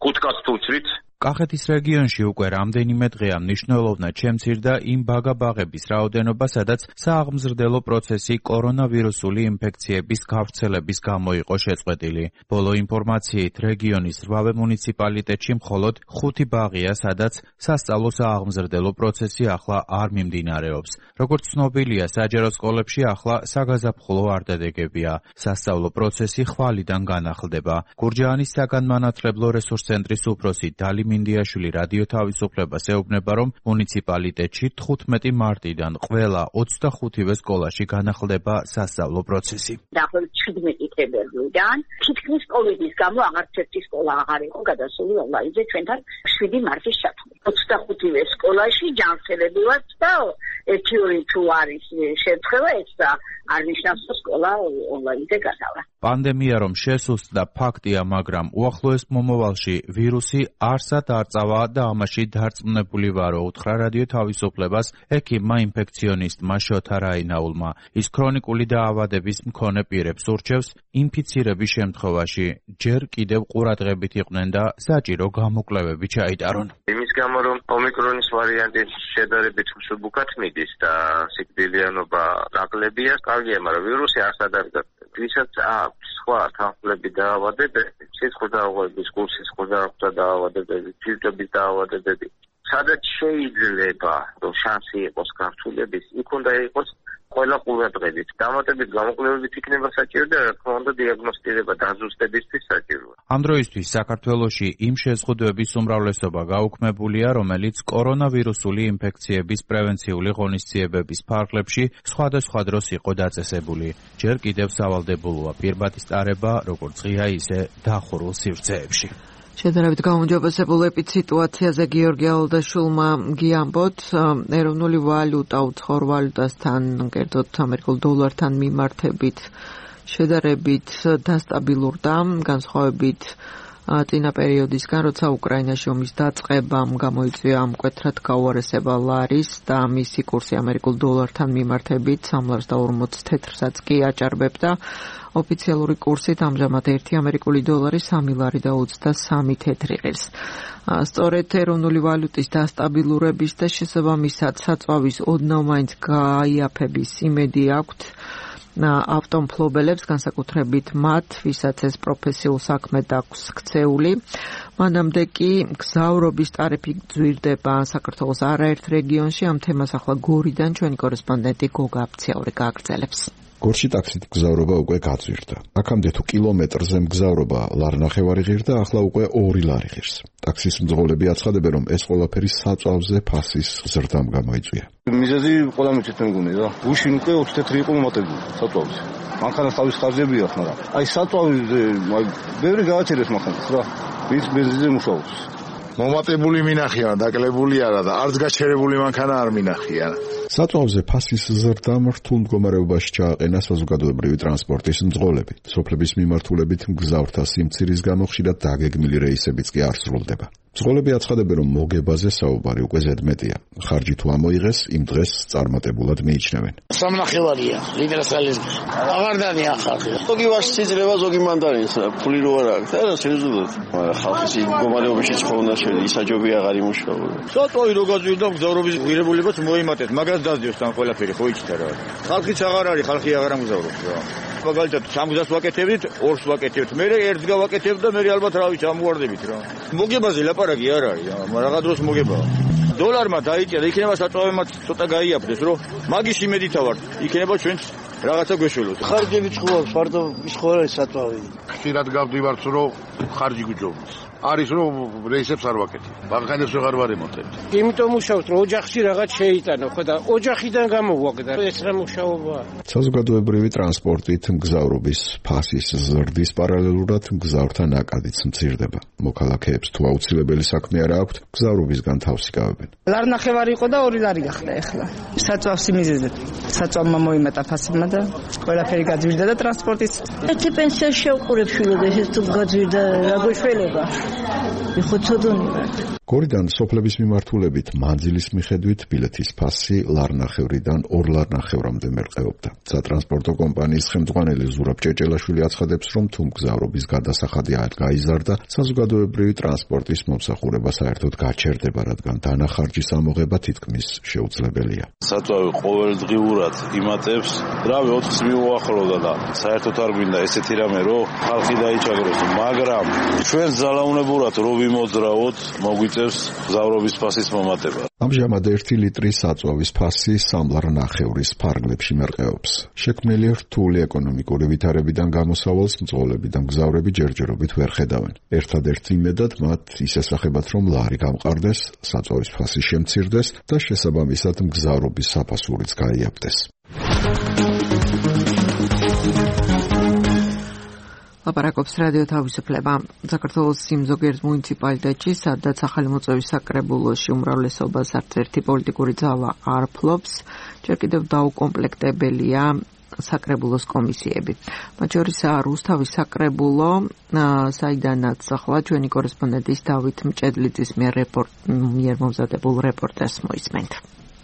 J: კუთკაც თუ ვცრით.
H: კახეთის რეგიონში უკვე რამდენიმე დღეა მნიშვნელოვნად შემცირდა იმ ბაგა-ბაღების რაოდენობა, სადაც სააღმზრდელო პროცესი კორონავირუსული ინფექციების გავრცელების გამო იყო შეწყვეტილი. ბოლო ინფორმაციით, რეგიონის რვავე მუნიციპალიტეტში მხოლოდ ხუთი ბაღია, სადაც სასწავლო სააღმზრდელო პროცესი ახლა არ მიმდინარეობს. როგორც ცნობილია, საჯარო სკოლებში ახლა საგაზაფხულო არდადეგებია. სასწავლო პროცესი ხვალიდან განახლდება. გურჯაანის საგანმანათლებლო რესურს ცენტრის უფროსი დალი მინდიაშვილი რადიო თავისუფლებას ეუბნება, რომ მუნიციპალიტეტში თხუთმეტი მარტიდან ყველა ოცდახუთივე სკოლაში განახლდება სასწავლო პროცესი.
K: დაახლოებით შვიდმეტი თებერვლიდან თითქმის კოვიდის გამო აღარც ერთი სკოლა აღარ იყო გადასული ონლაინზე ჩვენთან შვიდი მარტის ჩათვლით. ოცდახუთივე სკოლაში ჯანმრთელობრივად და ერთი ორი თუ არის შეთხება, ეს და არ ნიშნავს, რომ სკოლა ონლაინზე გადავა.
H: პანდემია რომ შესუსტდა ფაქტია, მაგრამ უახლოეს მომავალში ვირუსი არსად არ წავა და ამაში დარწმუნებული ვარო, უთხრა რადიო თავისუფლებას ექიმმა ინფექციონისტმა შოთა რაინაულმა. ის ქრონიკული დაავადების მქონე პირებს ურჩევს ინფიცირების შემთხვევაში ჯერ კიდევ ყურადღებით იყვნენ და საჭირო გამოკვლევები ჩაიტარონ.
J: იმის გამო რომ ომიკრონის ვარიანტი შედარებით მსუბუქად მიდის და სიკვდილიანობა ნაკლებია, კარგია, მაგრამ ვირუსი არსად არ გაწევს. ვისაც აქვს სხვა თანხმლები დაავადებები, სისხლის დაავადებების, გულ-სისხლის დაავადებები, ჯირდების დაავადებები, სადაც შეიძლება რომ შანსი იყოს გართულების, იქ უნდა იყოს ყველა ყურადღებით. დამატებით გამოკვლევებით იქნება საჭირო და რა თქმა უნდა დიაგნოსტირება დაზუსტებისთვის საჭიროა.
H: ამ დროისთვის საქართველოში იმ შეზღუდვების უმრავლესობა გაუქმებულია, რომელიც კორონავირუსული ინფექციების პრევენციული ღონისძიებების ფარგლებში სხვადასხვა დროს იყო დაწესებული. ჯერ კიდევ სავალდებულოა პირბადის ტარება, როგორც ღია, ისე დახურულ სივრცეებში.
C: შედარებით გაუმჯობესებულ ეპიდსიტუაციაზე გიორგი ალდაშვილმა გიამბოთ, ეროვნული ვალუტა უცხოურ ვალუტასთან, კერძოდ ამერიკულ დოლართან მიმართებით შედარებით დასტაბილურდა, განსხვავებით წინა პერიოდისგან, როცა უკრაინაში ომის დაწყებამ გამოიწვია მკვეთრად გაუარესება ლარის და მისი კურსი ამერიკულ დოლართან მიმართებით სამლარს და ორმოც თეთრსაც კი აჭარბებდა. ოფიციალური კურსით ამჟამად ერთი ამერიკული დოლარი სამი ლარი და ოცდასამი თეთრი ღირს. სწორედ ეროვნული ვალუტის დასტაბილურების და შესაბამისად საწვავის ოდნავ მაინც გაიაფების იმედი აქვთ ავტომფლობელებს, განსაკუთრებით მათ, ვისაც ეს პროფესიულ საქმედ აქვს ქცეული. მანამდე კი გზავრობის ტარიფი გძვირდება საქართველოს არაერთ რეგიონში. ამ თემას ახლა გორიდან ჩვენი კორესპონდენტი გოგა აფციაური გააგრძელებს.
A: გორში ტაქსით მგზავრობა უკვე გაძვირდა. აქამდე თუ კილომეტრზე მგზავრობა ლარნახევარი ღირდა, ახლა უკვე ორი ლარი ღირს. ტაქსის მძღოლები აცხადებენ, რომ ეს ყველაფერი საწვავზე ფასის ზრდამ გამოიწვია.
L: მიზეზი ყველა მეჩეთ მეგონი რა. გუშინ უკვე ოცი თეთრი იყო მომატებული საწვავზე. მანქანა თავის ხარჯები აქვს, მაგრამ აი საწვავზე ბევრი გააჩერეს მანქანას რა. ვის ბენზინზე მუშაობს.
M: მომატებული მინახია, დაკლებული არა და არც გაჩერებული მანქანა არ მინახია.
A: საწვავზე ფასის ზრდამ რთულ მდგომარეობაში ჩააყენა საზოგადოებრივი ტრანსპორტის მძღოლები. სოფლების მიმართულებით მგზავრთა სიმცირის გამო ხშირად დაგეგმილი რეისებიც კი არ სრულდება. მძღოლები აცხადებენ, რომ მოგებაზე საუბარი უკვე ზედმეტია. ხარჯი თუ ამოიღეს, იმ დღეს წარმატებულად მიიჩნევენ.
N: სამნახევარია, ლიტრასალის. აღარ დანია ხალხი. ზოგი ვაშს იძლევა, ზოგი მანდარინს, ფული რო არ აქვს, არა სერიოზულად. ხალხის მდგომარეობაში ცხოვრნა შეიძლება, ისაჯობი აღარ იმუშავა.
L: საწვავი რო გაძვირდა, მგზავრობის ღირებულებაც მოიმატეთ, მაგას დაძიოს თან ყველაფერი, ხო იცით რა. ხალხიც აღარ არის, ხალხი აღარ ამგზავრობს რა. მაგალითად სამგზას ვაკეთებდით, ორს ვაკეთებთ, მე ერთს გავაკეთებ და მე ალბათ რა ვიცი ამგვარდებით რა. მოგებაზე ლაპარაკი არ არის, რაღა დროს მოგებაა. დოლარმა დაიჭერა, იქნება საწვავებმაც ცოტა გაიაფრეს, რომ მაგის იმედითა ვარ, იქნება ჩვენც რაღაცა გვეშველოს.
N: ხარჯები ჭუავს, ფარდო ის ხო არის საწვავი.
M: ხშირად გავდივართ, რომ ხარჯი გვიჯობს. არის რომ რეისებს არ ვაკეთებ. ბაღანებს ვეღარ ვარემონტებ.
O: იმიტომ მუშაობთ რომ ოჯახში რაღაც შეიტანო, ხო და ოჯახიდან გამოვაგდა ეს რა მუშაობაა.
A: საზოგადოებრივი ტრანსპორტით მგზავრობის ფასის ზრდის პარალელურად მგზავრთა ნაკადიც მცირდება. მოქალაქეებს თუ აუცილებელი საქმე არ აქვთ, მგზავრობისგან თავს იკავებენ.
P: ლარნახევარი იყო და ორი ლარი გახდა ახლა. საწვავს იმიზედეთ. საწვავმა მოიმატა ფასებმა და ყველაფერი გაძვირდა და ტრანსპორტიც.
Q: ერთი პენსია შევყურებ შვილად ეს თუ გაძვირდა რა გვეშველება. იხოცოდონი ვარ.
A: გორიდან სოფლების მიმართულებით მანძილის მიხედვით ბილეთის ფასი ლარნახევრიდან ორ ლარნახევრამდე მერყეობდა. სატრანსპორტო კომპანიის ხელმძღვანელი ზურაბ ჭეჭელაშვილი აცხადებს, რომ თუ მგზავრობის გადასახადი არ გაიზარდა, საზოგადოებრივი ტრანსპორტის მომსახურება საერთოდ გაჩერდება, რადგან დანახარჯის ამოღება თითქმის შეუძლებელია.
R: საწვავი ყოველდღიურად იმატებს, რავი ოთხს მიუახლოვდა და საერთოდ არ გვინდა ესეთი რამე, რომ ხალხი დაიჭაგროს, მაგრამ ჩვენ ძალაუნებურად რო ვიმოძრავოთ, მოგვიწევს მგზავრობის ფასის მომატება.
A: ამჟამად ერთი ლიტრის საწვავის ფასი სამ ლარნახევრის ფარგლებში მერყეობს. შექმნილი რთული ეკონომიკური ვითარებიდან გამოსავალს მძღოლები და მგზავრები ჯერჯერობით ვერ ხედავენ. ერთადერთ იმედად მათ ის ესახებათ, რომ ლარი გამყარდეს, საწვავის ფასი შემცირდეს და შესაბამისად მგზავრობის საფასურიც გაიაფდეს.
C: ლაპარაკობს რადიო თავისუფლება. საქართველოს იმ ზოგიერთ მუნიციპალიტეტში, სადაც ახალი მოწვევის საკრებულოში უმრავლესობას არც ერთი პოლიტიკური ძალა არ ფლობს, ჯერ კიდევ დაუკომპლექტებელია საკრებულოს კომისიები. მათ შორისაა რუსთავის საკრებულო, საიდანაც ახლა ჩვენი კორესპონდენტის დავით მჭედლიძის მიერ მიერ მომზადებულ რეპორტაჟს მოისმენთ.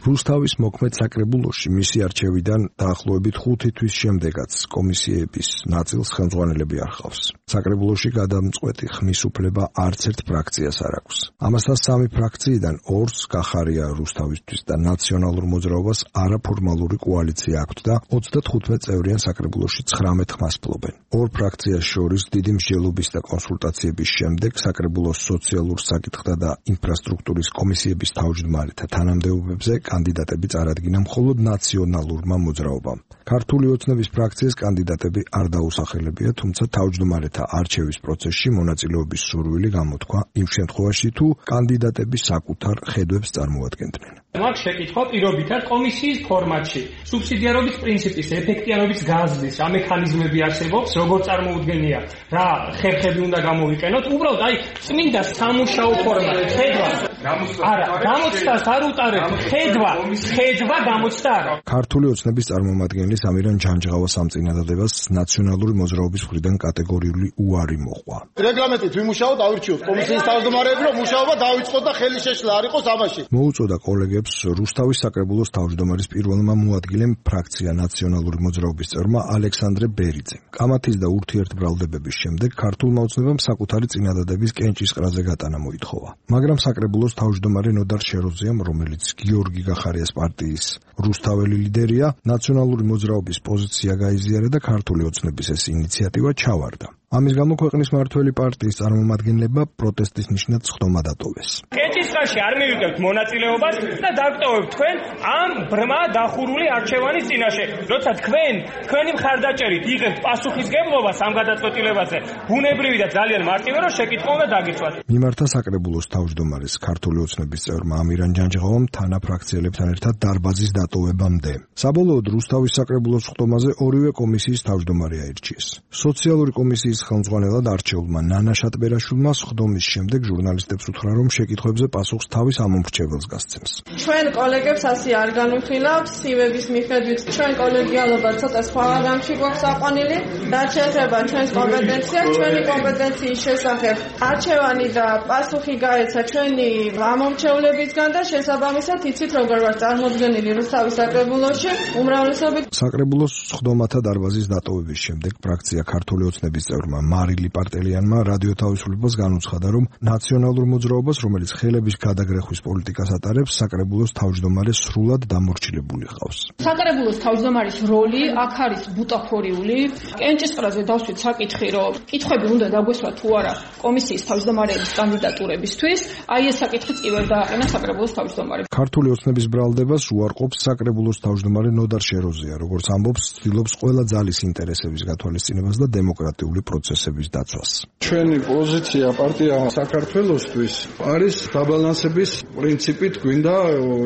S: რუსთავის მოქმედ საკრებულოში მისი არჩევიდან დაახლოებით ხუთი თვის შემდეგაც კომისიების ნაწილს ხელმძღვანელები არ ჰყავს. საკრებულოში გადამწყვეტი ხმის უფლება არც ერთ ფრაქციას არ აქვს. ამასთან სამი ფრაქციიდან ორს გახარია რუსთავისთვის და ნაციონალურ მოძრაობას არაფორმალური კოალიცია აქვთ და ოცდათხუთმეტ წევრიან საკრებულოში ცხრამეტ ხმას ფლობენ. ორ ფრაქციას შორის დიდი მსჯელობის და კონსულტაციების შემდეგ საკრებულოს სოციალურ საკითხთა და ინფრასტრუქტურის კომისიების თავმჯდომარეთა თანამდებობებზე კანდიდატები წარადგინა მხოლოდ ნაციონალურმა მოძრაობამ. ქართული ოცნების ფრაქციის კანდიდატები არ დაუსახელებია, თუმცა თავმჯდომარეთა არჩევის პროცესში მონაწილეობის სურვილი გამოთქვა იმ შემთხვევაში, თუ კანდიდატები საკუთარ ხედვებს წარმოადგენდნენ.
T: მაგ შეკითხვა პირობითად კომისიის ფორმატში სუბსიდიარობის პრინციპის ეფექტიანობის გაზრდის რა მექანიზმები არსებობს, როგორ წარმოუდგენია, რა ხერხები უნდა გამოვიყენოთ, უბრალოდ აი წმინდა სამუშაო ფორმატი, ხედვა. არა, გამოცდას არ უტარებ, ხედვა, ხედვა გამოცდა არა.
S: ქართული ოცნების წარმომადგენლის ამირან ჯანჯღავას ამ წინადადებას ნაციონალური მოძრაობის მხრიდან კატეგორიული უარი მოყვა.
U: რეგლამენტით ვიმუშაოთ, ავირჩიოთ კომისიის თავმჯდომარეები, რომ მუშაობა დაიწყოთ და ხელი შეშლა არ იყოს ამაში.
S: მოუწოდა კოლეგებს რუსთავის საკრებულოს თავმჯდომარის პირველმა მოადგილემ ფრაქცია ნაციონალური მოძრაობის წევრმა ალექსანდრე ბერიძემ. კამათის და ურთიერთბრალდებების შემდეგ ქართულმა ოცნებამ საკუთარი წინადადების კენჭისყრაზე გატანა მოითხოვა. მაგრამ საკრებულოს თავმჯდომარე ნოდარ შეროზიამ, რომელიც გიორგი გახარიას პარტიის რუსთაველი ლიდერია, ნაციონალური მოძრაობის პოზიცია გაიზიარა და ქართული ოცნების ეს ინიციატივა ჩავარდა. ამის გამო ქვეყნის მმართველი პარტიის წარმომადგენლებმა პროტესტის ნიშნად სხდომა დატოვეს.
T: კენჭისყრაში არ მივიღებთ მონაწილეობას და დაგტოვებთ თქვენ ამ ბრმა დახურული არჩევანის წინაშე. როცა თქვენ თქვენი მხარდაჭერით იღებთ პასუხისგებლობას ამ გადაწყვეტილებაზე, ბუნებრივი და ძალიან მარტივია, რომ შეკითხვა უნდა დაგიცვათ.
S: მიმართა საკრებულოს თავმჯდომარეს ქართული ოცნების წევრმა ამირან ჯანჯღავამ თანაფრაქციელებთან ერთად დარბაზის დატოვებამდე. საბოლოოდ რუსთავის საკრებულოს სხდომაზე ორივე კომისიის თავმჯდომარე აირჩიეს. სოციალური კომისიის ხელმძღვანელად არჩეულმა ნანა შატბერაშვილმა სხდომის შემდეგ ჟურნალისტებს უთხრა, რომ შეკითხვებზე პასუხს თავის ამომრჩეველს გასცემს.
V: ჩვენ კოლეგებს ასე არ განვიხილავთ, სივების მიხედვით ჩვენ კოლეგიალობა ცოტა სხვა რამში გვაქვს აყვანილი, რაც შეეხება ჩვენს კომპეტენციას, ჩვენი კომპეტენციის შესახებ არჩევანი და პასუხი გაეცა ჩვენი ამომრჩევლებისგან და შესაბამისად იცით როგორ ვარ წარმოდგენილი რუსთავის საკრებულოში უმრავლესობით.
S: საკრებულოს სხდომათა დარბაზის დატოვების შემდეგ ფრაქცია ქართული ოცნების წევრმა მარილი პარტელიანმა რადიო თავისუფლებას განუცხადა, რომ ნაციონალურ მოძრაობას, რომელიც ხელების გადაგრეხვის პოლიტიკას ატარებს, საკრებულოს თავმჯდომარე სრულად დამორჩილებული ჰყავს.
W: საკრებულოს თავმჯდომარის როლი აქ არის ბუტაფორიული,
B: კენჭისყრაზე დავსვით საკითხი, რომ კითხვები უნდა დაგვესვა თუ არა კომისიის თავმჯდომარეების კანდიდატურებისთვის, აი ეს საკითხიც კი ვერ დააყენა საკრებულოს თავმჯდომარემ.
S: ქართული ოცნების ბრალდებას უარყოფს საკრებულოს თავმჯდომარე ნოდარ შეროზია, როგორც ამბობს, ცდილობს ყველა ძალის ინტერესების გათვალისწინებას და დემოკრატიული პროცესების დაცვას.
D: ჩვენი პოზიცია პარტია საქართველოსთვის არის დაბალანსების პრინციპით გვინდა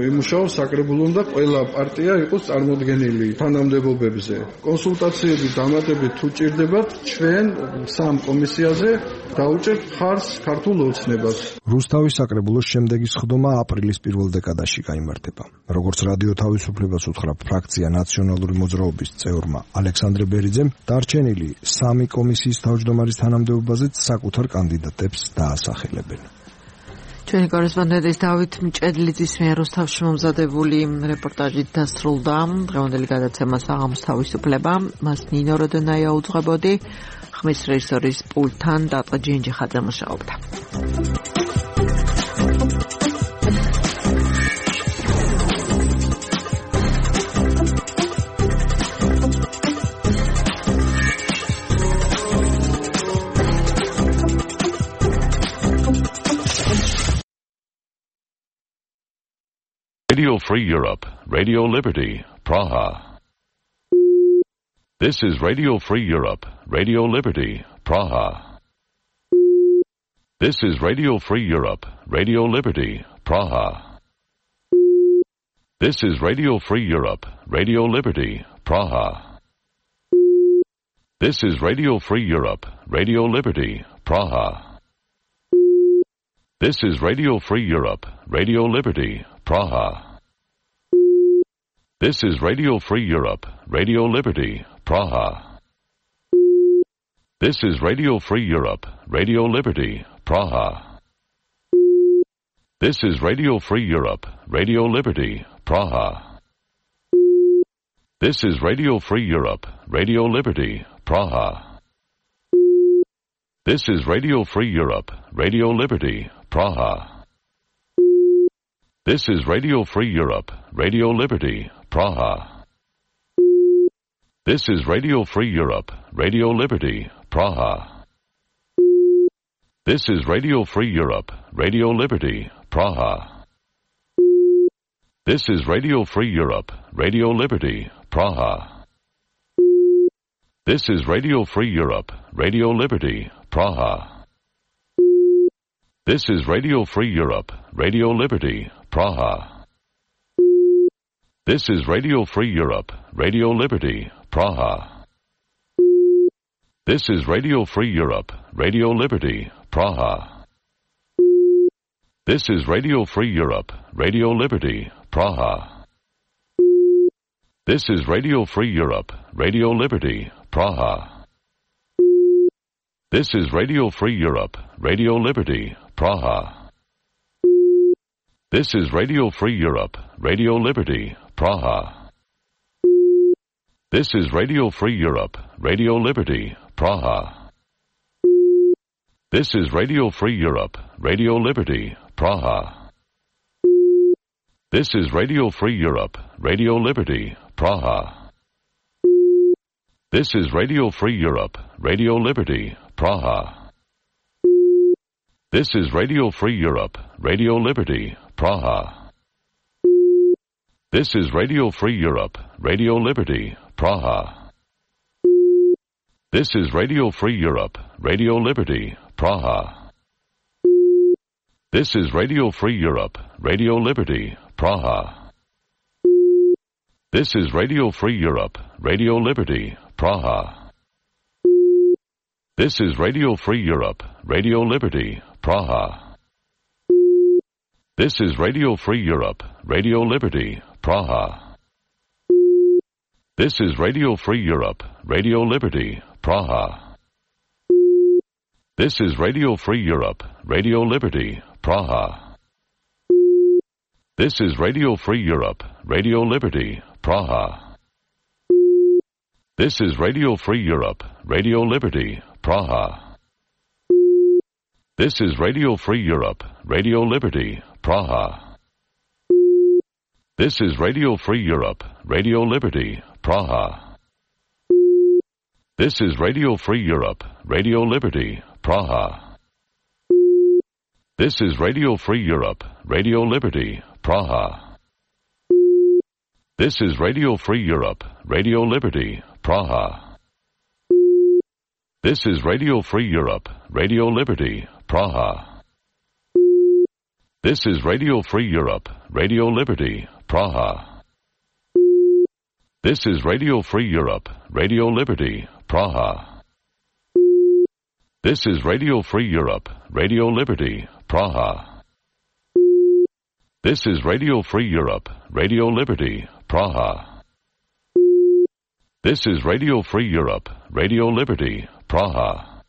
D: იმუშაოს საკრებულომ და ყველა პარტია იყოს წარმოდგენილი თანამდებობებზე. კონსულტაციების დამატებით თუ ჭირდებათ, ჩვენ სამ კომისიაზე დაუჭერთ ხარს ქართულ ოცნებას.
S: რუსთავის საკრებულოს შემდეგი სხდომა აპრილის პირველ დეკადაში გაიმართება. როგორც რადიო თავისუფლებას უთხრა ფრაქცია ნაციონალური მოძრაობის წევრმა ალექსანდრე ბერიძემ, დარჩენილი სამი კომისიის თავმჯდომარის თანამდებობაზეც საკუთარ კანდიდატებს დაასახელებენ.
C: ჩვენი კორესპონდენტის დავით მჭედლიძის მიერ რუსთავში მომზადებული რეპორტაჟით დასრულდა დღევანდელი გადაცემა საღამოს თავისუფლება. მას ნინო როდენაია უძღვებოდი, ხმის რეჟისორის პულტთან დატა ჯინჯიხაძე მუშაობდა.
W: Radio Free Europe, Radio Liberty, Praha. This is Radio Free Europe, Radio Liberty, Praha. This is Radio Free Europe, Radio Liberty, Praha. This is Radio Free Europe, Radio Liberty, Praha. This is Radio Free Europe, Radio Liberty, Praha. This is Radio Free Europe, Radio Liberty, Praha. This is Radio Free Europe, Radio Liberty, Praha. This is Radio Free Europe, Radio Liberty, Praha. This is Radio Free Europe, Radio Liberty, Praha. This is Radio Free Europe, Radio Liberty, Praha. This is Radio Free Europe, Radio Liberty, Praha. This is Radio Free Europe, Radio Liberty, Praha. This is Radio Free Europe, Radio Liberty, Praha. This is Radio Free Europe, Radio Liberty, Praha. This is Radio Free Europe, Radio Liberty, Praha. This is Radio Free Europe, Radio Liberty, Praha. This is Radio Free Europe, Radio Liberty, Praha. This is Radio Free Europe, Radio Liberty, Praha. This is Radio Free Europe, Radio Liberty, Praha. This is Radio Free Europe, Radio Liberty, Praha. This is Radio Free Europe, Radio Liberty, Praha. This is Radio Free Europe, Radio Liberty, Praha. This is Radio Free Europe, Radio Liberty, Praha. This is Radio Free Europe, Radio Liberty, Praha. This is Radio Free Europe, Radio Liberty, Praha. This is Radio Free Europe, Radio Liberty, Praha. This is Radio Free Europe, Radio Liberty, Praha. This is Radio Free Europe, Radio Liberty, Praha. This is Radio Free Europe, Radio Liberty, Praha. This is Radio Free Europe, Radio Liberty, Praha. This is Radio Free Europe, Radio Liberty, Praha. This is Radio Free Europe, Radio Liberty, Praha. This is Radio Free Europe, Radio Liberty, Praha. This is Radio Free Europe, Radio Liberty, Praha. This is Radio Free Europe, Radio Liberty, Praha. This is Radio Free Europe, Radio Liberty, Praha. This is Radio Free Europe, Radio Liberty, Praha. This is Radio Free Europe, Radio Liberty, Praha. This is Radio Free Europe, Radio Liberty, Praha. This is Radio Free Europe, Radio Liberty, Praha. This is Radio Free Europe, Radio Liberty, Praha. This is Radio Free Europe, Radio Liberty, Praha. This is Radio Free Europe, Radio Liberty, Praha. This is Radio Free Europe, Radio Liberty, Praha. This is Radio Free Europe, Radio Liberty, Praha. This is Radio Free Europe, Radio Liberty, Praha. This is Radio Free Europe, Radio Liberty, Praha. This is Radio Free Europe, Radio Liberty, Praha. This is Radio Free Europe, Radio Liberty, Praha.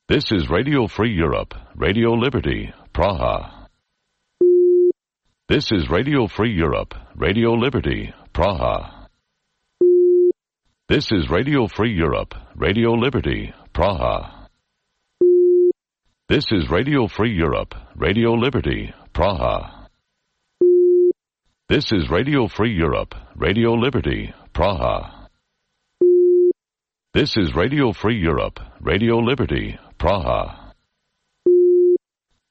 W: This is Radio Free Europe, Radio Liberty, Praha. This is Radio Free Europe, Radio Liberty, Praha. This is Radio Free Europe, Radio Liberty, Praha. This is Radio Free Europe, Radio Liberty, Praha. This is Radio Free Europe, Radio Liberty, Praha. This is Radio Free Europe, Radio Liberty, Praha.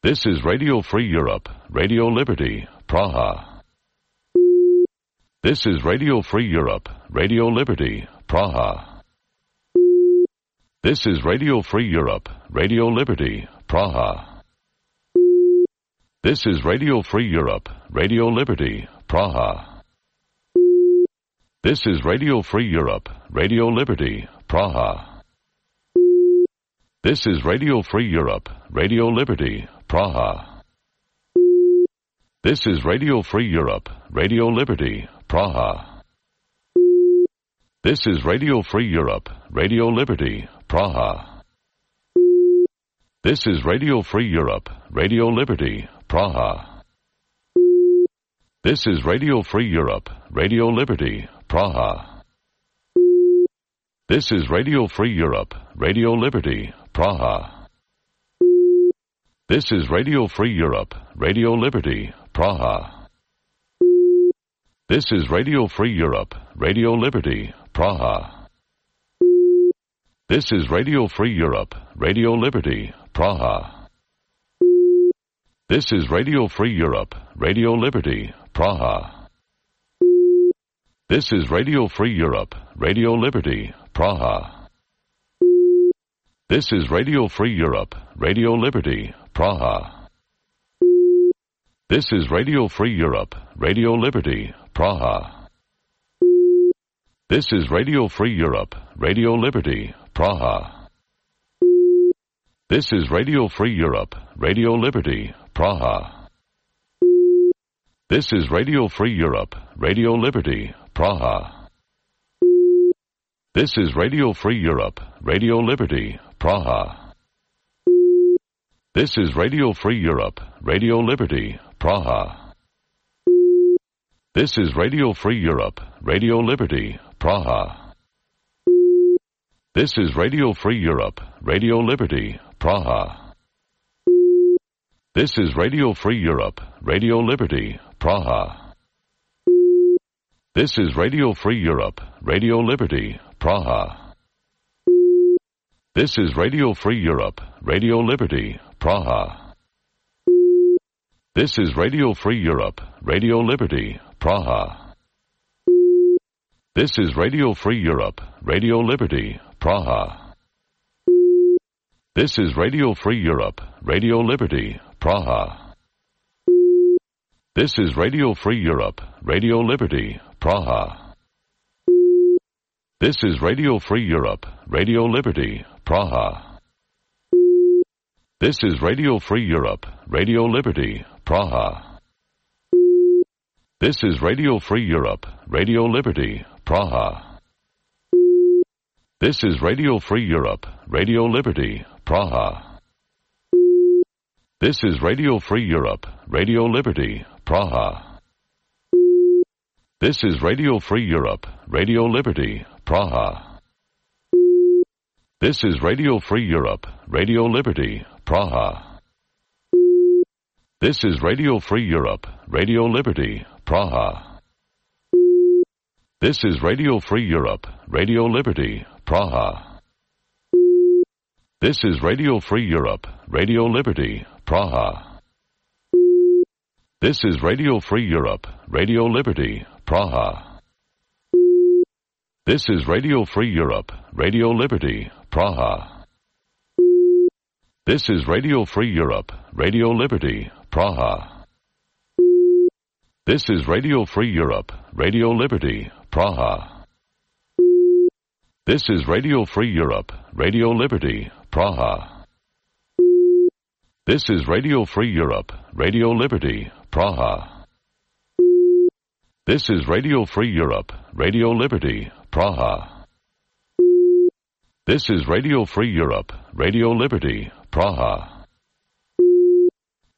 W: This is Radio Free Europe, Radio Liberty, Praha. This is Radio Free Europe, Radio Liberty, Praha. This is Radio Free Europe, Radio Liberty, Praha. This is Radio Free Europe, Radio Liberty, Praha. This is Radio Free Europe, Radio Liberty, Praha. This is Radio Free Europe, Radio Liberty, Praha. This is Radio Free Europe, Radio Liberty, Praha. This is Radio Free Europe, Radio Liberty, Praha. This is Radio Free Europe, Radio Liberty, Praha. This is Radio Free Europe, Radio Liberty, Praha. This is Radio Free Europe, Radio Liberty, Praha. This is Radio Free Europe, Radio Liberty, Praha. This is Radio Free Europe, Radio Liberty, Praha. This is Radio Free Europe, Radio Liberty, Praha. This is Radio Free Europe, Radio Liberty, Praha. This is Radio Free Europe, Radio Liberty, Praha. This is Radio Free Europe, Radio Liberty, Praha. This is Radio Free Europe, Radio Liberty, Praha. This is Radio Free Europe, Radio Liberty, Praha. This is Radio Free Europe, Radio Liberty, Praha. This is Radio Free Europe, Radio Liberty, Praha. This is Radio Free Europe, Radio Liberty, Praha. This is Radio Free Europe, Radio Liberty, Praha. This is Radio Free Europe, Radio Liberty, Praha. This is Radio Free Europe, Radio Liberty, Praha. This is Radio Free Europe, Radio Liberty, Praha. This is Radio Free Europe, Radio Liberty, Praha. This is Radio Free Europe, Radio Liberty, Praha. This is Radio Free Europe, Radio Liberty, Praha. This is Radio Free Europe, Radio Liberty, Praha. This is Radio Free Europe, Radio Liberty, Praha. This is Radio Free Europe, Radio Liberty, Praha. This is Radio Free Europe, Radio Liberty, Praha. This is Radio Free Europe, Radio Liberty, Praha. This is Radio Free Europe, Radio Liberty, Praha. This is Radio Free Europe, Radio Liberty, Praha. This is Radio Free Europe, Radio Liberty, Praha. This is Radio Free Europe, Radio Liberty, Praha. This is Radio Free Europe, Radio Liberty, Praha. This is Radio Free Europe, Radio Liberty, Praha. This is Radio Free Europe, Radio Liberty, Praha. This is Radio Free Europe, Radio Liberty, Praha. This is Radio Free Europe, Radio Liberty, Praha. This is Radio Free Europe, Radio Liberty, Praha. This is Radio Free Europe, Radio Liberty, Praha. This is Radio Free Europe, Radio Liberty, Praha. This is Radio Free Europe, Radio Liberty, Praha. This is Radio Free Europe, Radio Liberty, Praha. This is Radio Free Europe, Radio Liberty, Praha. This is Radio Free Europe, Radio Liberty, Praha.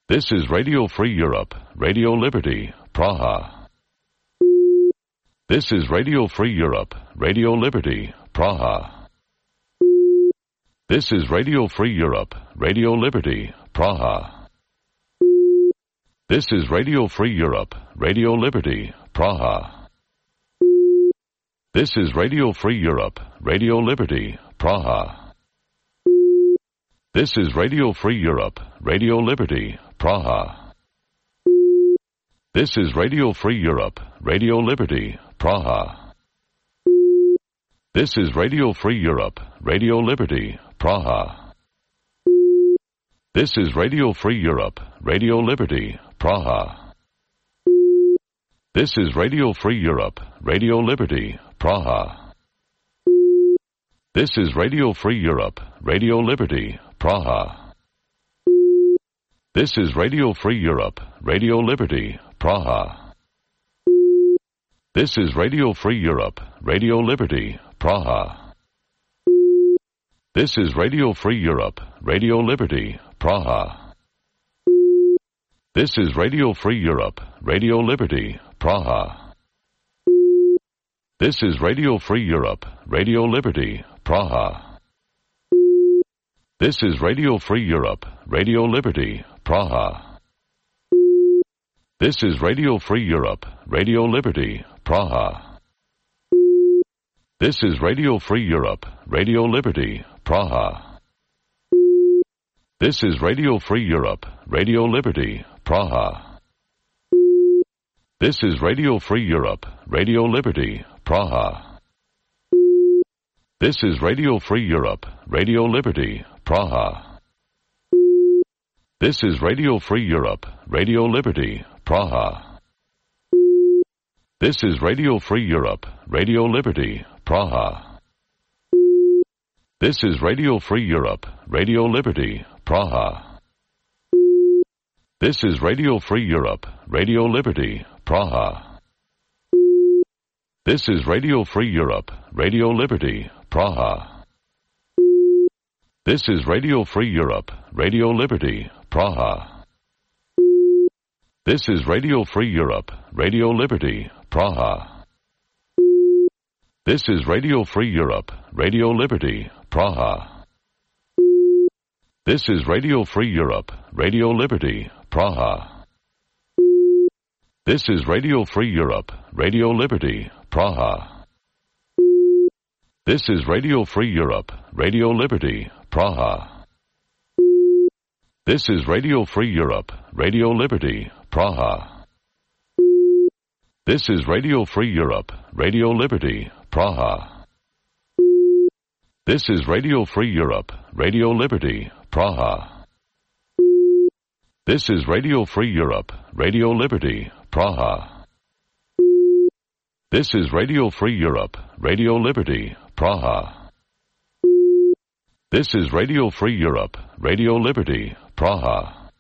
W: This is Radio Free Europe, Radio Liberty, Praha. This is Radio Free Europe, Radio Liberty, Praha. This is Radio Free Europe, Radio Liberty, Praha. This is Radio Free Europe, Radio Liberty, Praha. This is Radio Free Europe, Radio Liberty, Praha. This is Radio Free Europe, Radio Liberty, Praha. This is Radio Free Europe, Radio Liberty, Praha. This is Radio Free Europe, Radio Liberty, Praha. This is Radio Free Europe, Radio Liberty, Praha. This is Radio Free Europe, Radio Liberty, Praha. This is Radio Free Europe, Radio Liberty, Praha. This is Radio Free Europe, Radio Liberty, Praha. This is Radio Free Europe, Radio Liberty, Praha. This is Radio Free Europe, Radio Liberty, Praha. This is Radio Free Europe, Radio Liberty, Praha. This is Radio Free Europe, Radio Liberty, Praha. This is Radio Free Europe, Radio Liberty, Praha. This is Radio Free Europe, Radio Liberty, Praha. This is Radio Free Europe, Radio Liberty, Praha. This is Radio Free Europe, Radio Liberty, Praha. This is Radio Free Europe, Radio Liberty, Praha. This is Radio Free Europe, Radio Liberty, Praha. This is Radio Free Europe, Radio Liberty, Praha. This is Radio Free Europe, Radio Liberty, Praha. This is Radio Free Europe, Radio Liberty, Praha. This is Radio Free Europe, Radio Liberty, Praha. This is Radio Free Europe, Radio Liberty, Praha. This is Radio Free Europe, Radio Liberty, Praha. This is Radio Free Europe, Radio Liberty, Praha. This is Radio Free Europe, Radio Liberty, Praha. This is Radio Free Europe, Radio Liberty, Praha. This is Radio Free Europe, Radio Liberty, Praha. This is Radio Free Europe, Radio Liberty, Praha. This is Radio Free Europe, Radio Liberty, Praha. This is Radio Free Europe, Radio Liberty, Praha. This is Radio Free Europe, Radio Liberty, Praha. This is Radio Free Europe, Radio Liberty, Praha. This is Radio Free Europe, Radio Liberty, Praha. This is Radio Free Europe, Radio Liberty, Praha.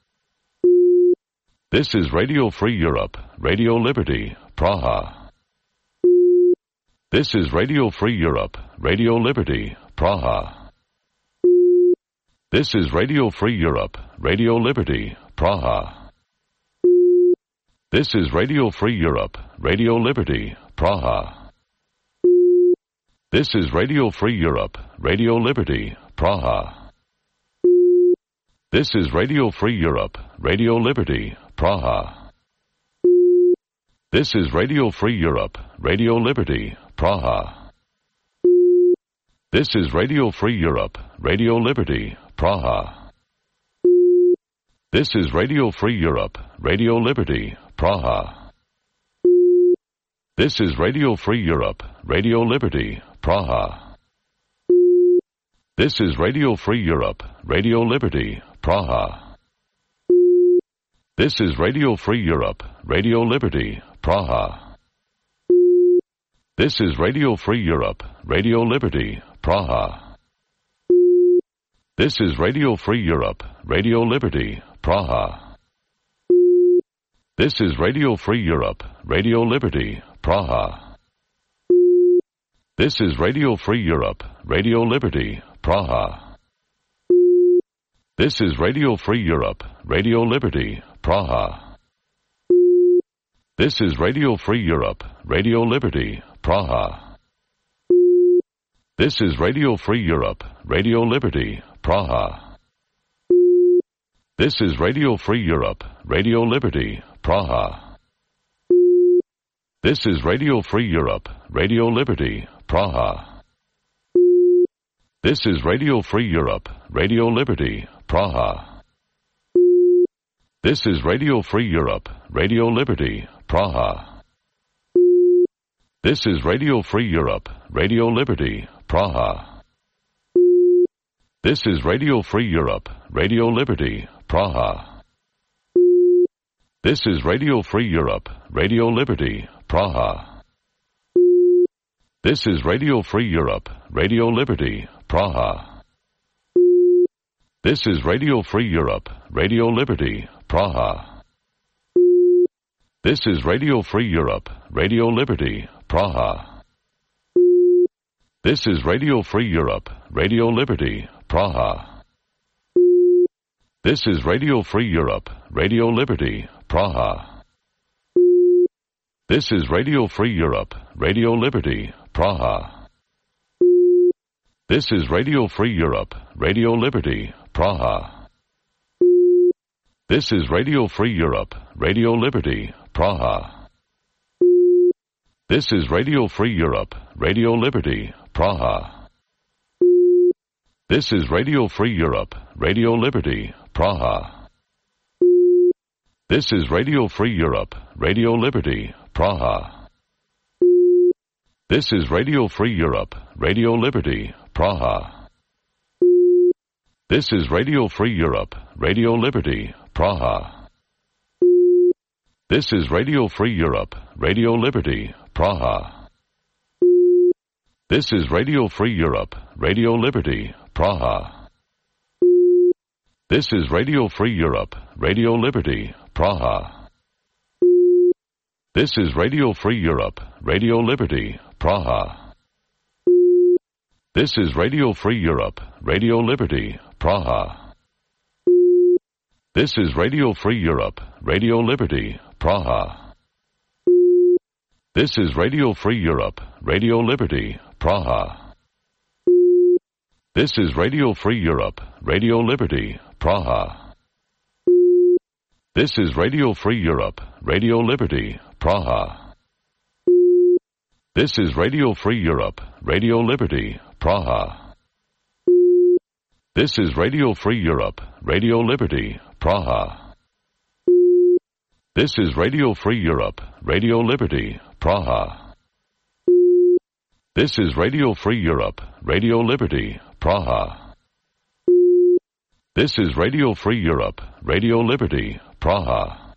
W: This is Radio Free Europe, Radio Liberty, Praha. This is Radio Free Europe, Radio Liberty, Praha. This is Radio Free Europe, Radio Liberty, Praha. This is Radio Free Europe, Radio Liberty, Praha. This is Radio Free Europe, Radio Liberty, Praha. This is Radio Free Europe, Radio Liberty, Praha. This is Radio Free Europe, Radio Liberty, Praha. This is Radio Free Europe, Radio Liberty, Praha. This is Radio Free Europe, Radio Liberty, Praha. This is Radio Free Europe, Radio Liberty, Praha. This is Radio Free Europe, Radio Liberty, Praha. This is Radio Free Europe, Radio Liberty, Praha. This is Radio Free Europe, Radio Liberty, Praha. This is Radio Free Europe, Radio Liberty, Praha. This is Radio Free Europe, Radio Liberty, Praha. This is Radio Free Europe, Radio Liberty, Praha. This is Radio Free Europe, Radio Liberty, Praha. This is Radio Free Europe, Radio Liberty, Praha. This is Radio Free Europe, Radio Liberty, Praha. This is Radio Free Europe, Radio Liberty, Praha. This is Radio Free Europe, Radio Liberty, Praha. This is Radio Free Europe, Radio Liberty, Praha. This is Radio Free Europe, Radio Liberty, Praha. This is Radio Free Europe, Radio Liberty, Praha. This is Radio Free Europe, Radio Liberty, Praha. This is Radio Free Europe, Radio Liberty, Praha. This is Radio Free Europe, Radio Liberty, Praha. This is Radio Free Europe, Radio Liberty, Praha. This is Radio Free Europe, Radio Liberty, Praha. This is Radio Free Europe, Radio Liberty, Praha. This is Radio Free Europe, Radio Liberty, Praha. This is Radio Free Europe, Radio Liberty, Praha. This is Radio Free Europe, Radio Liberty, Praha. This is Radio Free Europe, Radio Liberty, Praha. This is Radio Free Europe, Radio Liberty, Praha. This is Radio Free Europe, Radio Liberty, Praha. This is Radio Free Europe, Radio Liberty, Praha. This is Radio Free Europe, Radio Liberty, Praha. This is Radio Free Europe, Radio Liberty, Praha. This is Radio Free Europe, Radio Liberty, Praha. This is Radio Free Europe, Radio Liberty, Praha. This is Radio Free Europe, Radio Liberty, Praha. This is Radio Free Europe, Radio Liberty, Praha. This is Radio Free Europe, Radio Liberty, Praha. This is Radio Free Europe, Radio Liberty, Praha. This is Radio Free Europe, Radio Liberty, Praha. This is Radio Free Europe, Radio Liberty, Praha. This is Radio Free Europe, Radio Liberty, Praha. This is Radio Free Europe, Radio Liberty, Praha. This is Radio Free Europe, Radio Liberty, Praha. This is Radio Free Europe, Radio Liberty, Praha. This is Radio Free Europe, Radio Liberty, Praha. This is Radio Free Europe, Radio Liberty, Praha.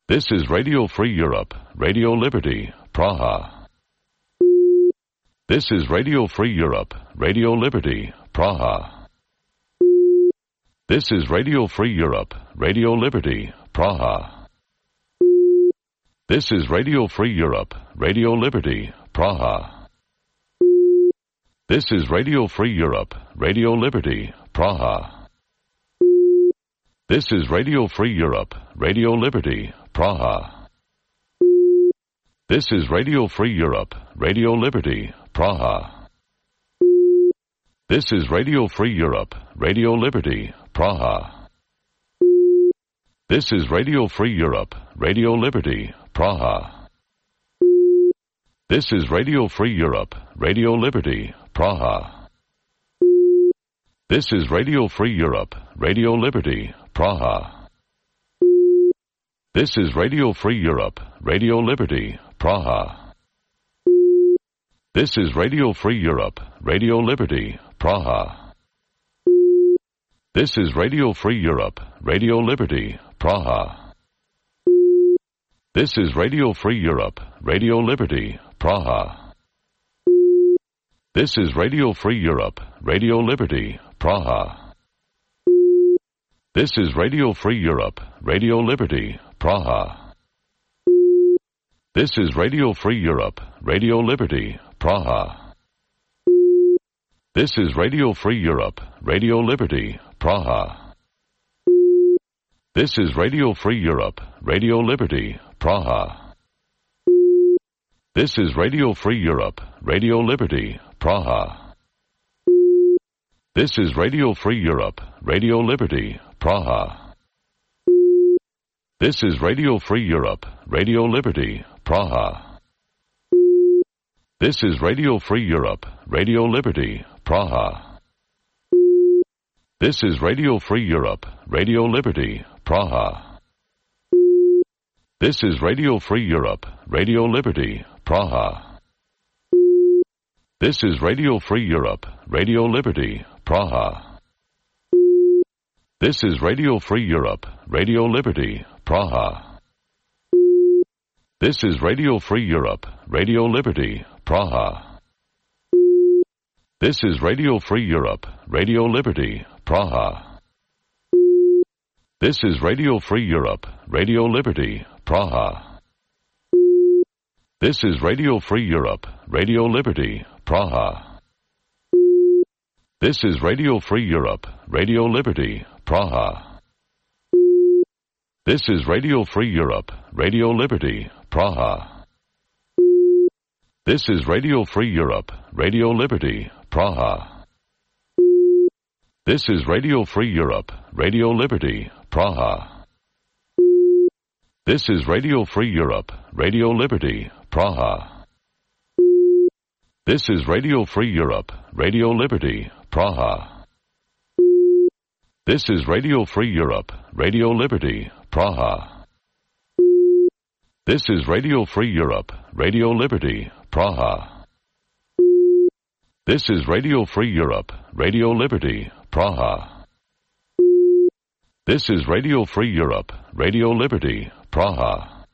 W: This is Radio Free Europe, Radio Liberty, Praha. This is Radio Free Europe, Radio Liberty, Praha. This is Radio Free Europe, Radio Liberty, Praha. This is Radio Free Europe, Radio Liberty, Praha. This is Radio Free Europe, Radio Liberty, Praha. This is Radio Free Europe, Radio Liberty, Praha. This is Radio Free Europe, Radio Liberty, Praha. This is Radio Free Europe, Radio Liberty, Praha. This is Radio Free Europe, Radio Liberty, Praha. This is Radio Free Europe, Radio Liberty, Praha. This is Radio Free Europe, Radio Liberty, Praha. This is Radio Free Europe, Radio Liberty, Praha. This is Radio Free Europe, Radio Liberty, Praha. This is Radio Free Europe, Radio Liberty, Praha. This is Radio Free Europe, Radio Liberty, Praha. This is Radio Free Europe, Radio Liberty, Praha. This is Radio Free Europe, Radio Liberty, Praha. This is Radio Free Europe, Radio Liberty, Praha. This is Radio Free Europe, Radio Liberty, Praha. This is Radio Free Europe, Radio Liberty, Praha. This is Radio Free Europe, Radio Liberty, Praha. This is Radio Free Europe, Radio Liberty, Praha. This is Radio Free Europe, Radio Liberty, Praha. This is Radio Free Europe, Radio Liberty, Praha. This is Radio Free Europe, Radio Liberty, Praha. This is Radio Free Europe, Radio Liberty, Praha. This is Radio Free Europe, Radio Liberty, Praha. This is Radio Free Europe, Radio Liberty, Praha. This is Radio Free Europe, Radio Liberty, Praha. This is Radio Free Europe, Radio Liberty, Praha. This is Radio Free Europe, Radio Liberty, Praha. This is Radio Free Europe, Radio Liberty, Praha. This is Radio Free Europe, Radio Liberty, Praha. This is Radio Free Europe, Radio Liberty, Praha. This is Radio Free Europe, Radio Liberty, Praha. This is Radio Free Europe, Radio Liberty, Praha. This is Radio Free Europe, Radio Liberty, Praha. This is Radio Free Europe, Radio Liberty, Praha. This is Radio Free Europe, Radio Liberty, Praha. This is Radio Free Europe, Radio Liberty, Praha. This is Radio Free Europe, Radio Liberty, Praha. This is Radio Free Europe, Radio Liberty, Praha.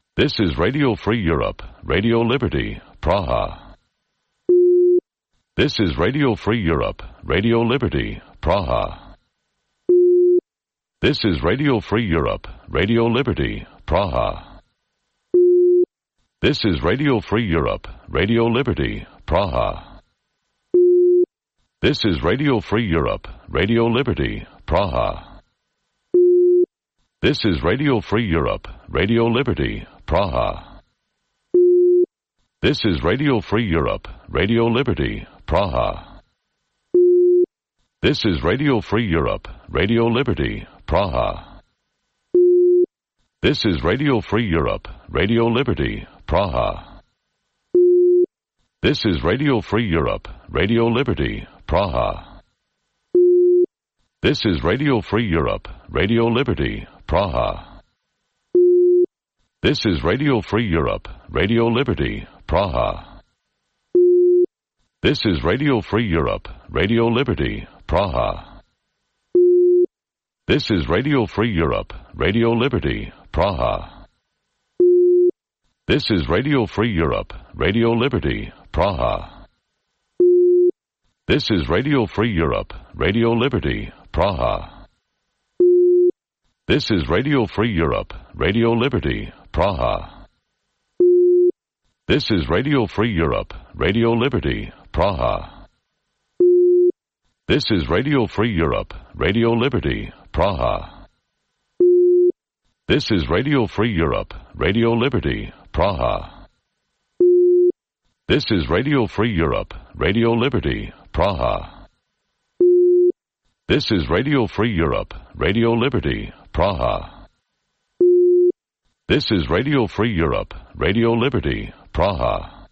W: This is Radio Free Europe, Radio Liberty, Praha. This is Radio Free Europe, Radio Liberty, Praha. This is Radio Free Europe, Radio Liberty, Praha. This is Radio Free Europe, Radio Liberty, Praha. This is Radio Free Europe, Radio Liberty, Praha. This is Radio Free Europe, Radio Liberty, Praha. This is Radio Free Europe, Radio Liberty, Praha. This is Radio Free Europe, Radio Liberty, Praha. This is Radio Free Europe, Radio Liberty, Praha. This is Radio Free Europe, Radio Liberty, Praha. This is Radio Free Europe, Radio Liberty, Praha. This is Radio Free Europe, Radio Liberty, Praha. This is Radio Free Europe, Radio Liberty, Praha. This is Radio Free Europe, Radio Liberty, Praha. This is Radio Free Europe, Radio Liberty, Praha. This is Radio Free Europe, Radio Liberty, Praha. This is Radio Free Europe, Radio Liberty, Praha. This is Radio Free Europe, Radio Liberty, Praha. This is Radio Free Europe, Radio Liberty, Praha. This is Radio Free Europe, Radio Liberty, Praha. This is Radio Free Europe, Radio Liberty, Praha. This is Radio Free Europe, Radio Liberty, Praha. This is Radio Free Europe, Radio Liberty, Praha.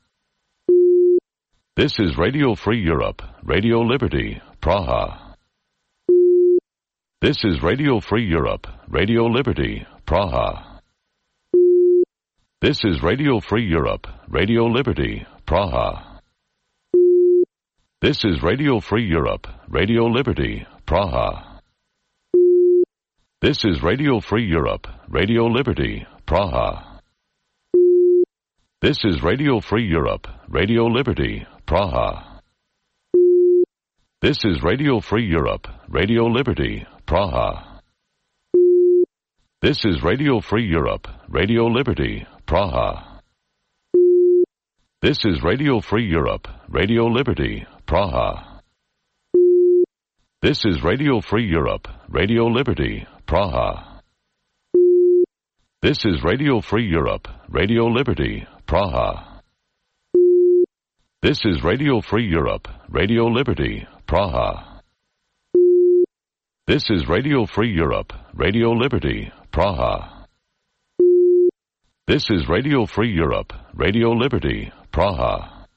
W: This is Radio Free Europe, Radio Liberty, Praha. This is Radio Free Europe, Radio Liberty, Praha. This is Radio Free Europe, Radio Liberty, Praha. This is Radio Free Europe, Radio Liberty, Praha. This is Radio Free Europe, Radio Liberty, Praha. This is Radio Free Europe, Radio Liberty, Praha. This is Radio Free Europe, Radio Liberty, Praha. This is Radio Free Europe, Radio Liberty, Praha. This is Radio Free Europe, Radio Liberty, Praha. This is Radio Free Europe, Radio Liberty, Praha. This is Radio Free Europe, Radio Liberty, Praha. This is Radio Free Europe, Radio Liberty, Praha. This is Radio Free Europe, Radio Liberty, Praha. This is Radio Free Europe, Radio Liberty, Praha.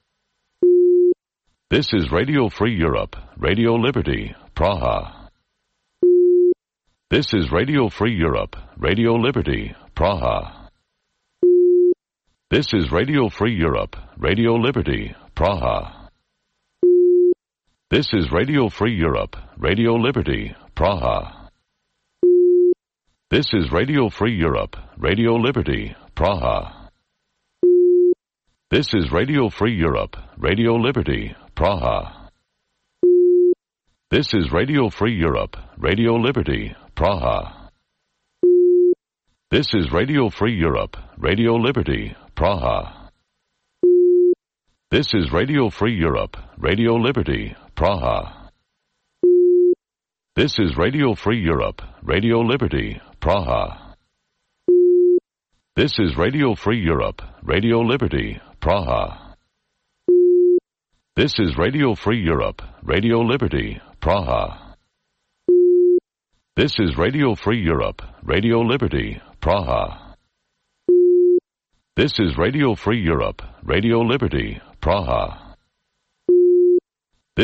W: This is Radio Free Europe, Radio Liberty, Praha. This is Radio Free Europe, Radio Liberty, Praha. This is Radio Free Europe, Radio Liberty, Praha. This is Radio Free Europe, Radio Liberty, Praha. This is Radio Free Europe, Radio Liberty, Praha. This is Radio Free Europe, Radio Liberty, Praha. This is Radio Free Europe, Radio Liberty, Praha. This is Radio Free Europe, Radio Liberty, Praha. This is Radio Free Europe, Radio Liberty, Praha. This is Radio Free Europe, Radio Liberty, Praha. This is Radio Free Europe, Radio Liberty, Praha. This is Radio Free Europe, Radio Liberty, Praha. This is Radio Free Europe, Radio Liberty, Praha. This is Radio Free Europe, Radio Liberty, Praha.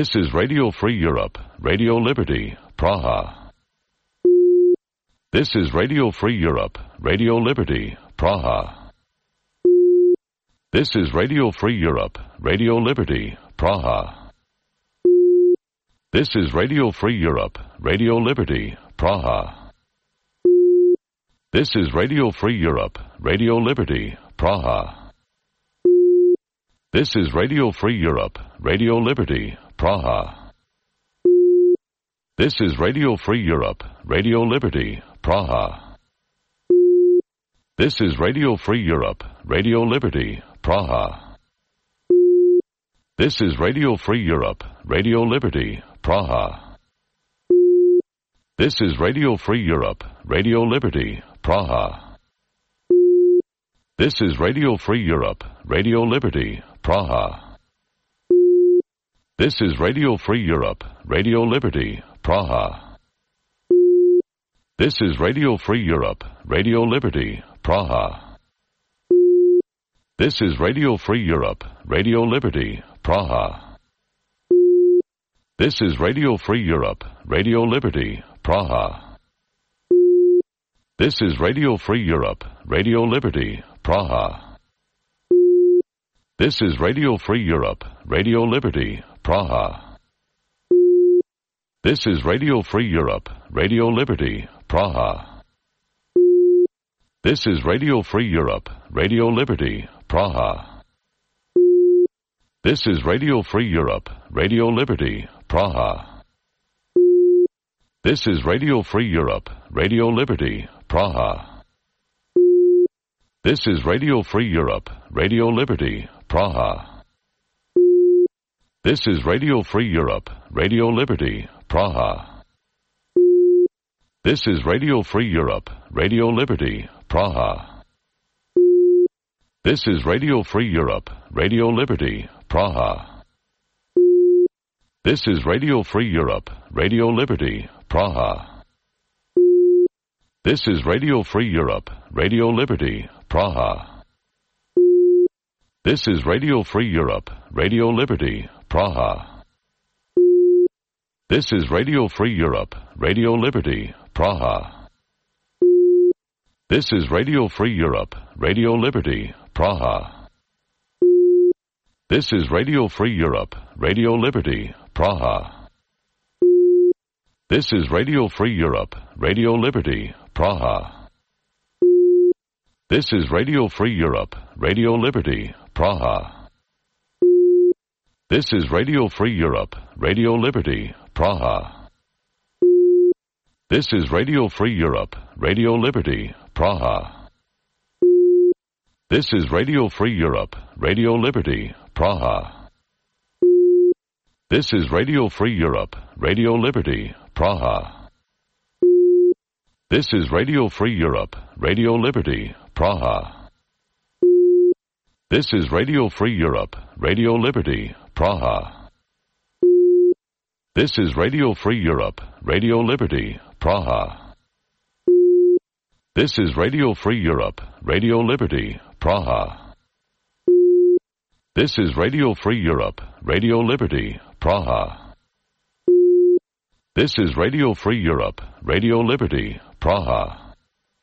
W: This is Radio Free Europe, Radio Liberty, Praha. This is Radio Free Europe, Radio Liberty, Praha. This is Radio Free Europe, Radio Liberty, Praha. This is Radio Free Europe, Radio Liberty, Praha. This is Radio Free Europe, Radio Liberty, Praha. This is Radio Free Europe, Radio Liberty, Praha. This is Radio Free Europe, Radio Liberty, Praha. This is Radio Free Europe, Radio Liberty, Praha. This is Radio Free Europe, Radio Liberty, Praha. This is Radio Free Europe, Radio Liberty, Praha. This is Radio Free Europe, Radio Liberty, Praha. This is Radio Free Europe, Radio Liberty, Praha. This is Radio Free Europe, Radio Liberty, Praha. This is Radio Free Europe, Radio Liberty, Praha. This is Radio Free Europe, Radio Liberty, Praha. This is Radio Free Europe, Radio Liberty, Praha. This is Radio Free Europe, Radio Liberty, Praha. This is Radio Free Europe, Radio Liberty, Praha. This is Radio Free Europe, Radio Liberty, Praha. This is Radio Free Europe, Radio Liberty, Praha. This is Radio Free Europe, Radio Liberty, Praha. This is Radio Free Europe, Radio Liberty, Praha. This is Radio Free Europe, Radio Liberty, Praha. This is Radio Free Europe, Radio Liberty, Praha. This is Radio Free Europe, Radio Liberty, Praha. This is Radio Free Europe, Radio Liberty, Praha. This is Radio Free Europe, Radio Liberty, Praha. This is Radio Free Europe, Radio Liberty, Praha. This is Radio Free Europe, Radio Liberty, Praha. This is Radio Free Europe, Radio Liberty, Praha. This is Radio Free Europe, Radio Liberty, Praha. This is Radio Free Europe, Radio Liberty, Praha. This is Radio Free Europe, Radio Liberty, Praha. This is Radio Free Europe, Radio Liberty, Praha. This is Radio Free Europe, Radio Liberty, Praha. This is Radio Free Europe, Radio Liberty, Praha. This is Radio Free Europe, Radio Liberty, Praha. This is Radio Free Europe, Radio Liberty, Praha. This is Radio Free Europe, Radio Liberty, Praha. This is Radio Free Europe, Radio Liberty, Praha. This is Radio Free Europe, Radio Liberty, Praha. This is Radio Free Europe, Radio Liberty, Praha. This is Radio Free Europe, Radio Liberty, Praha.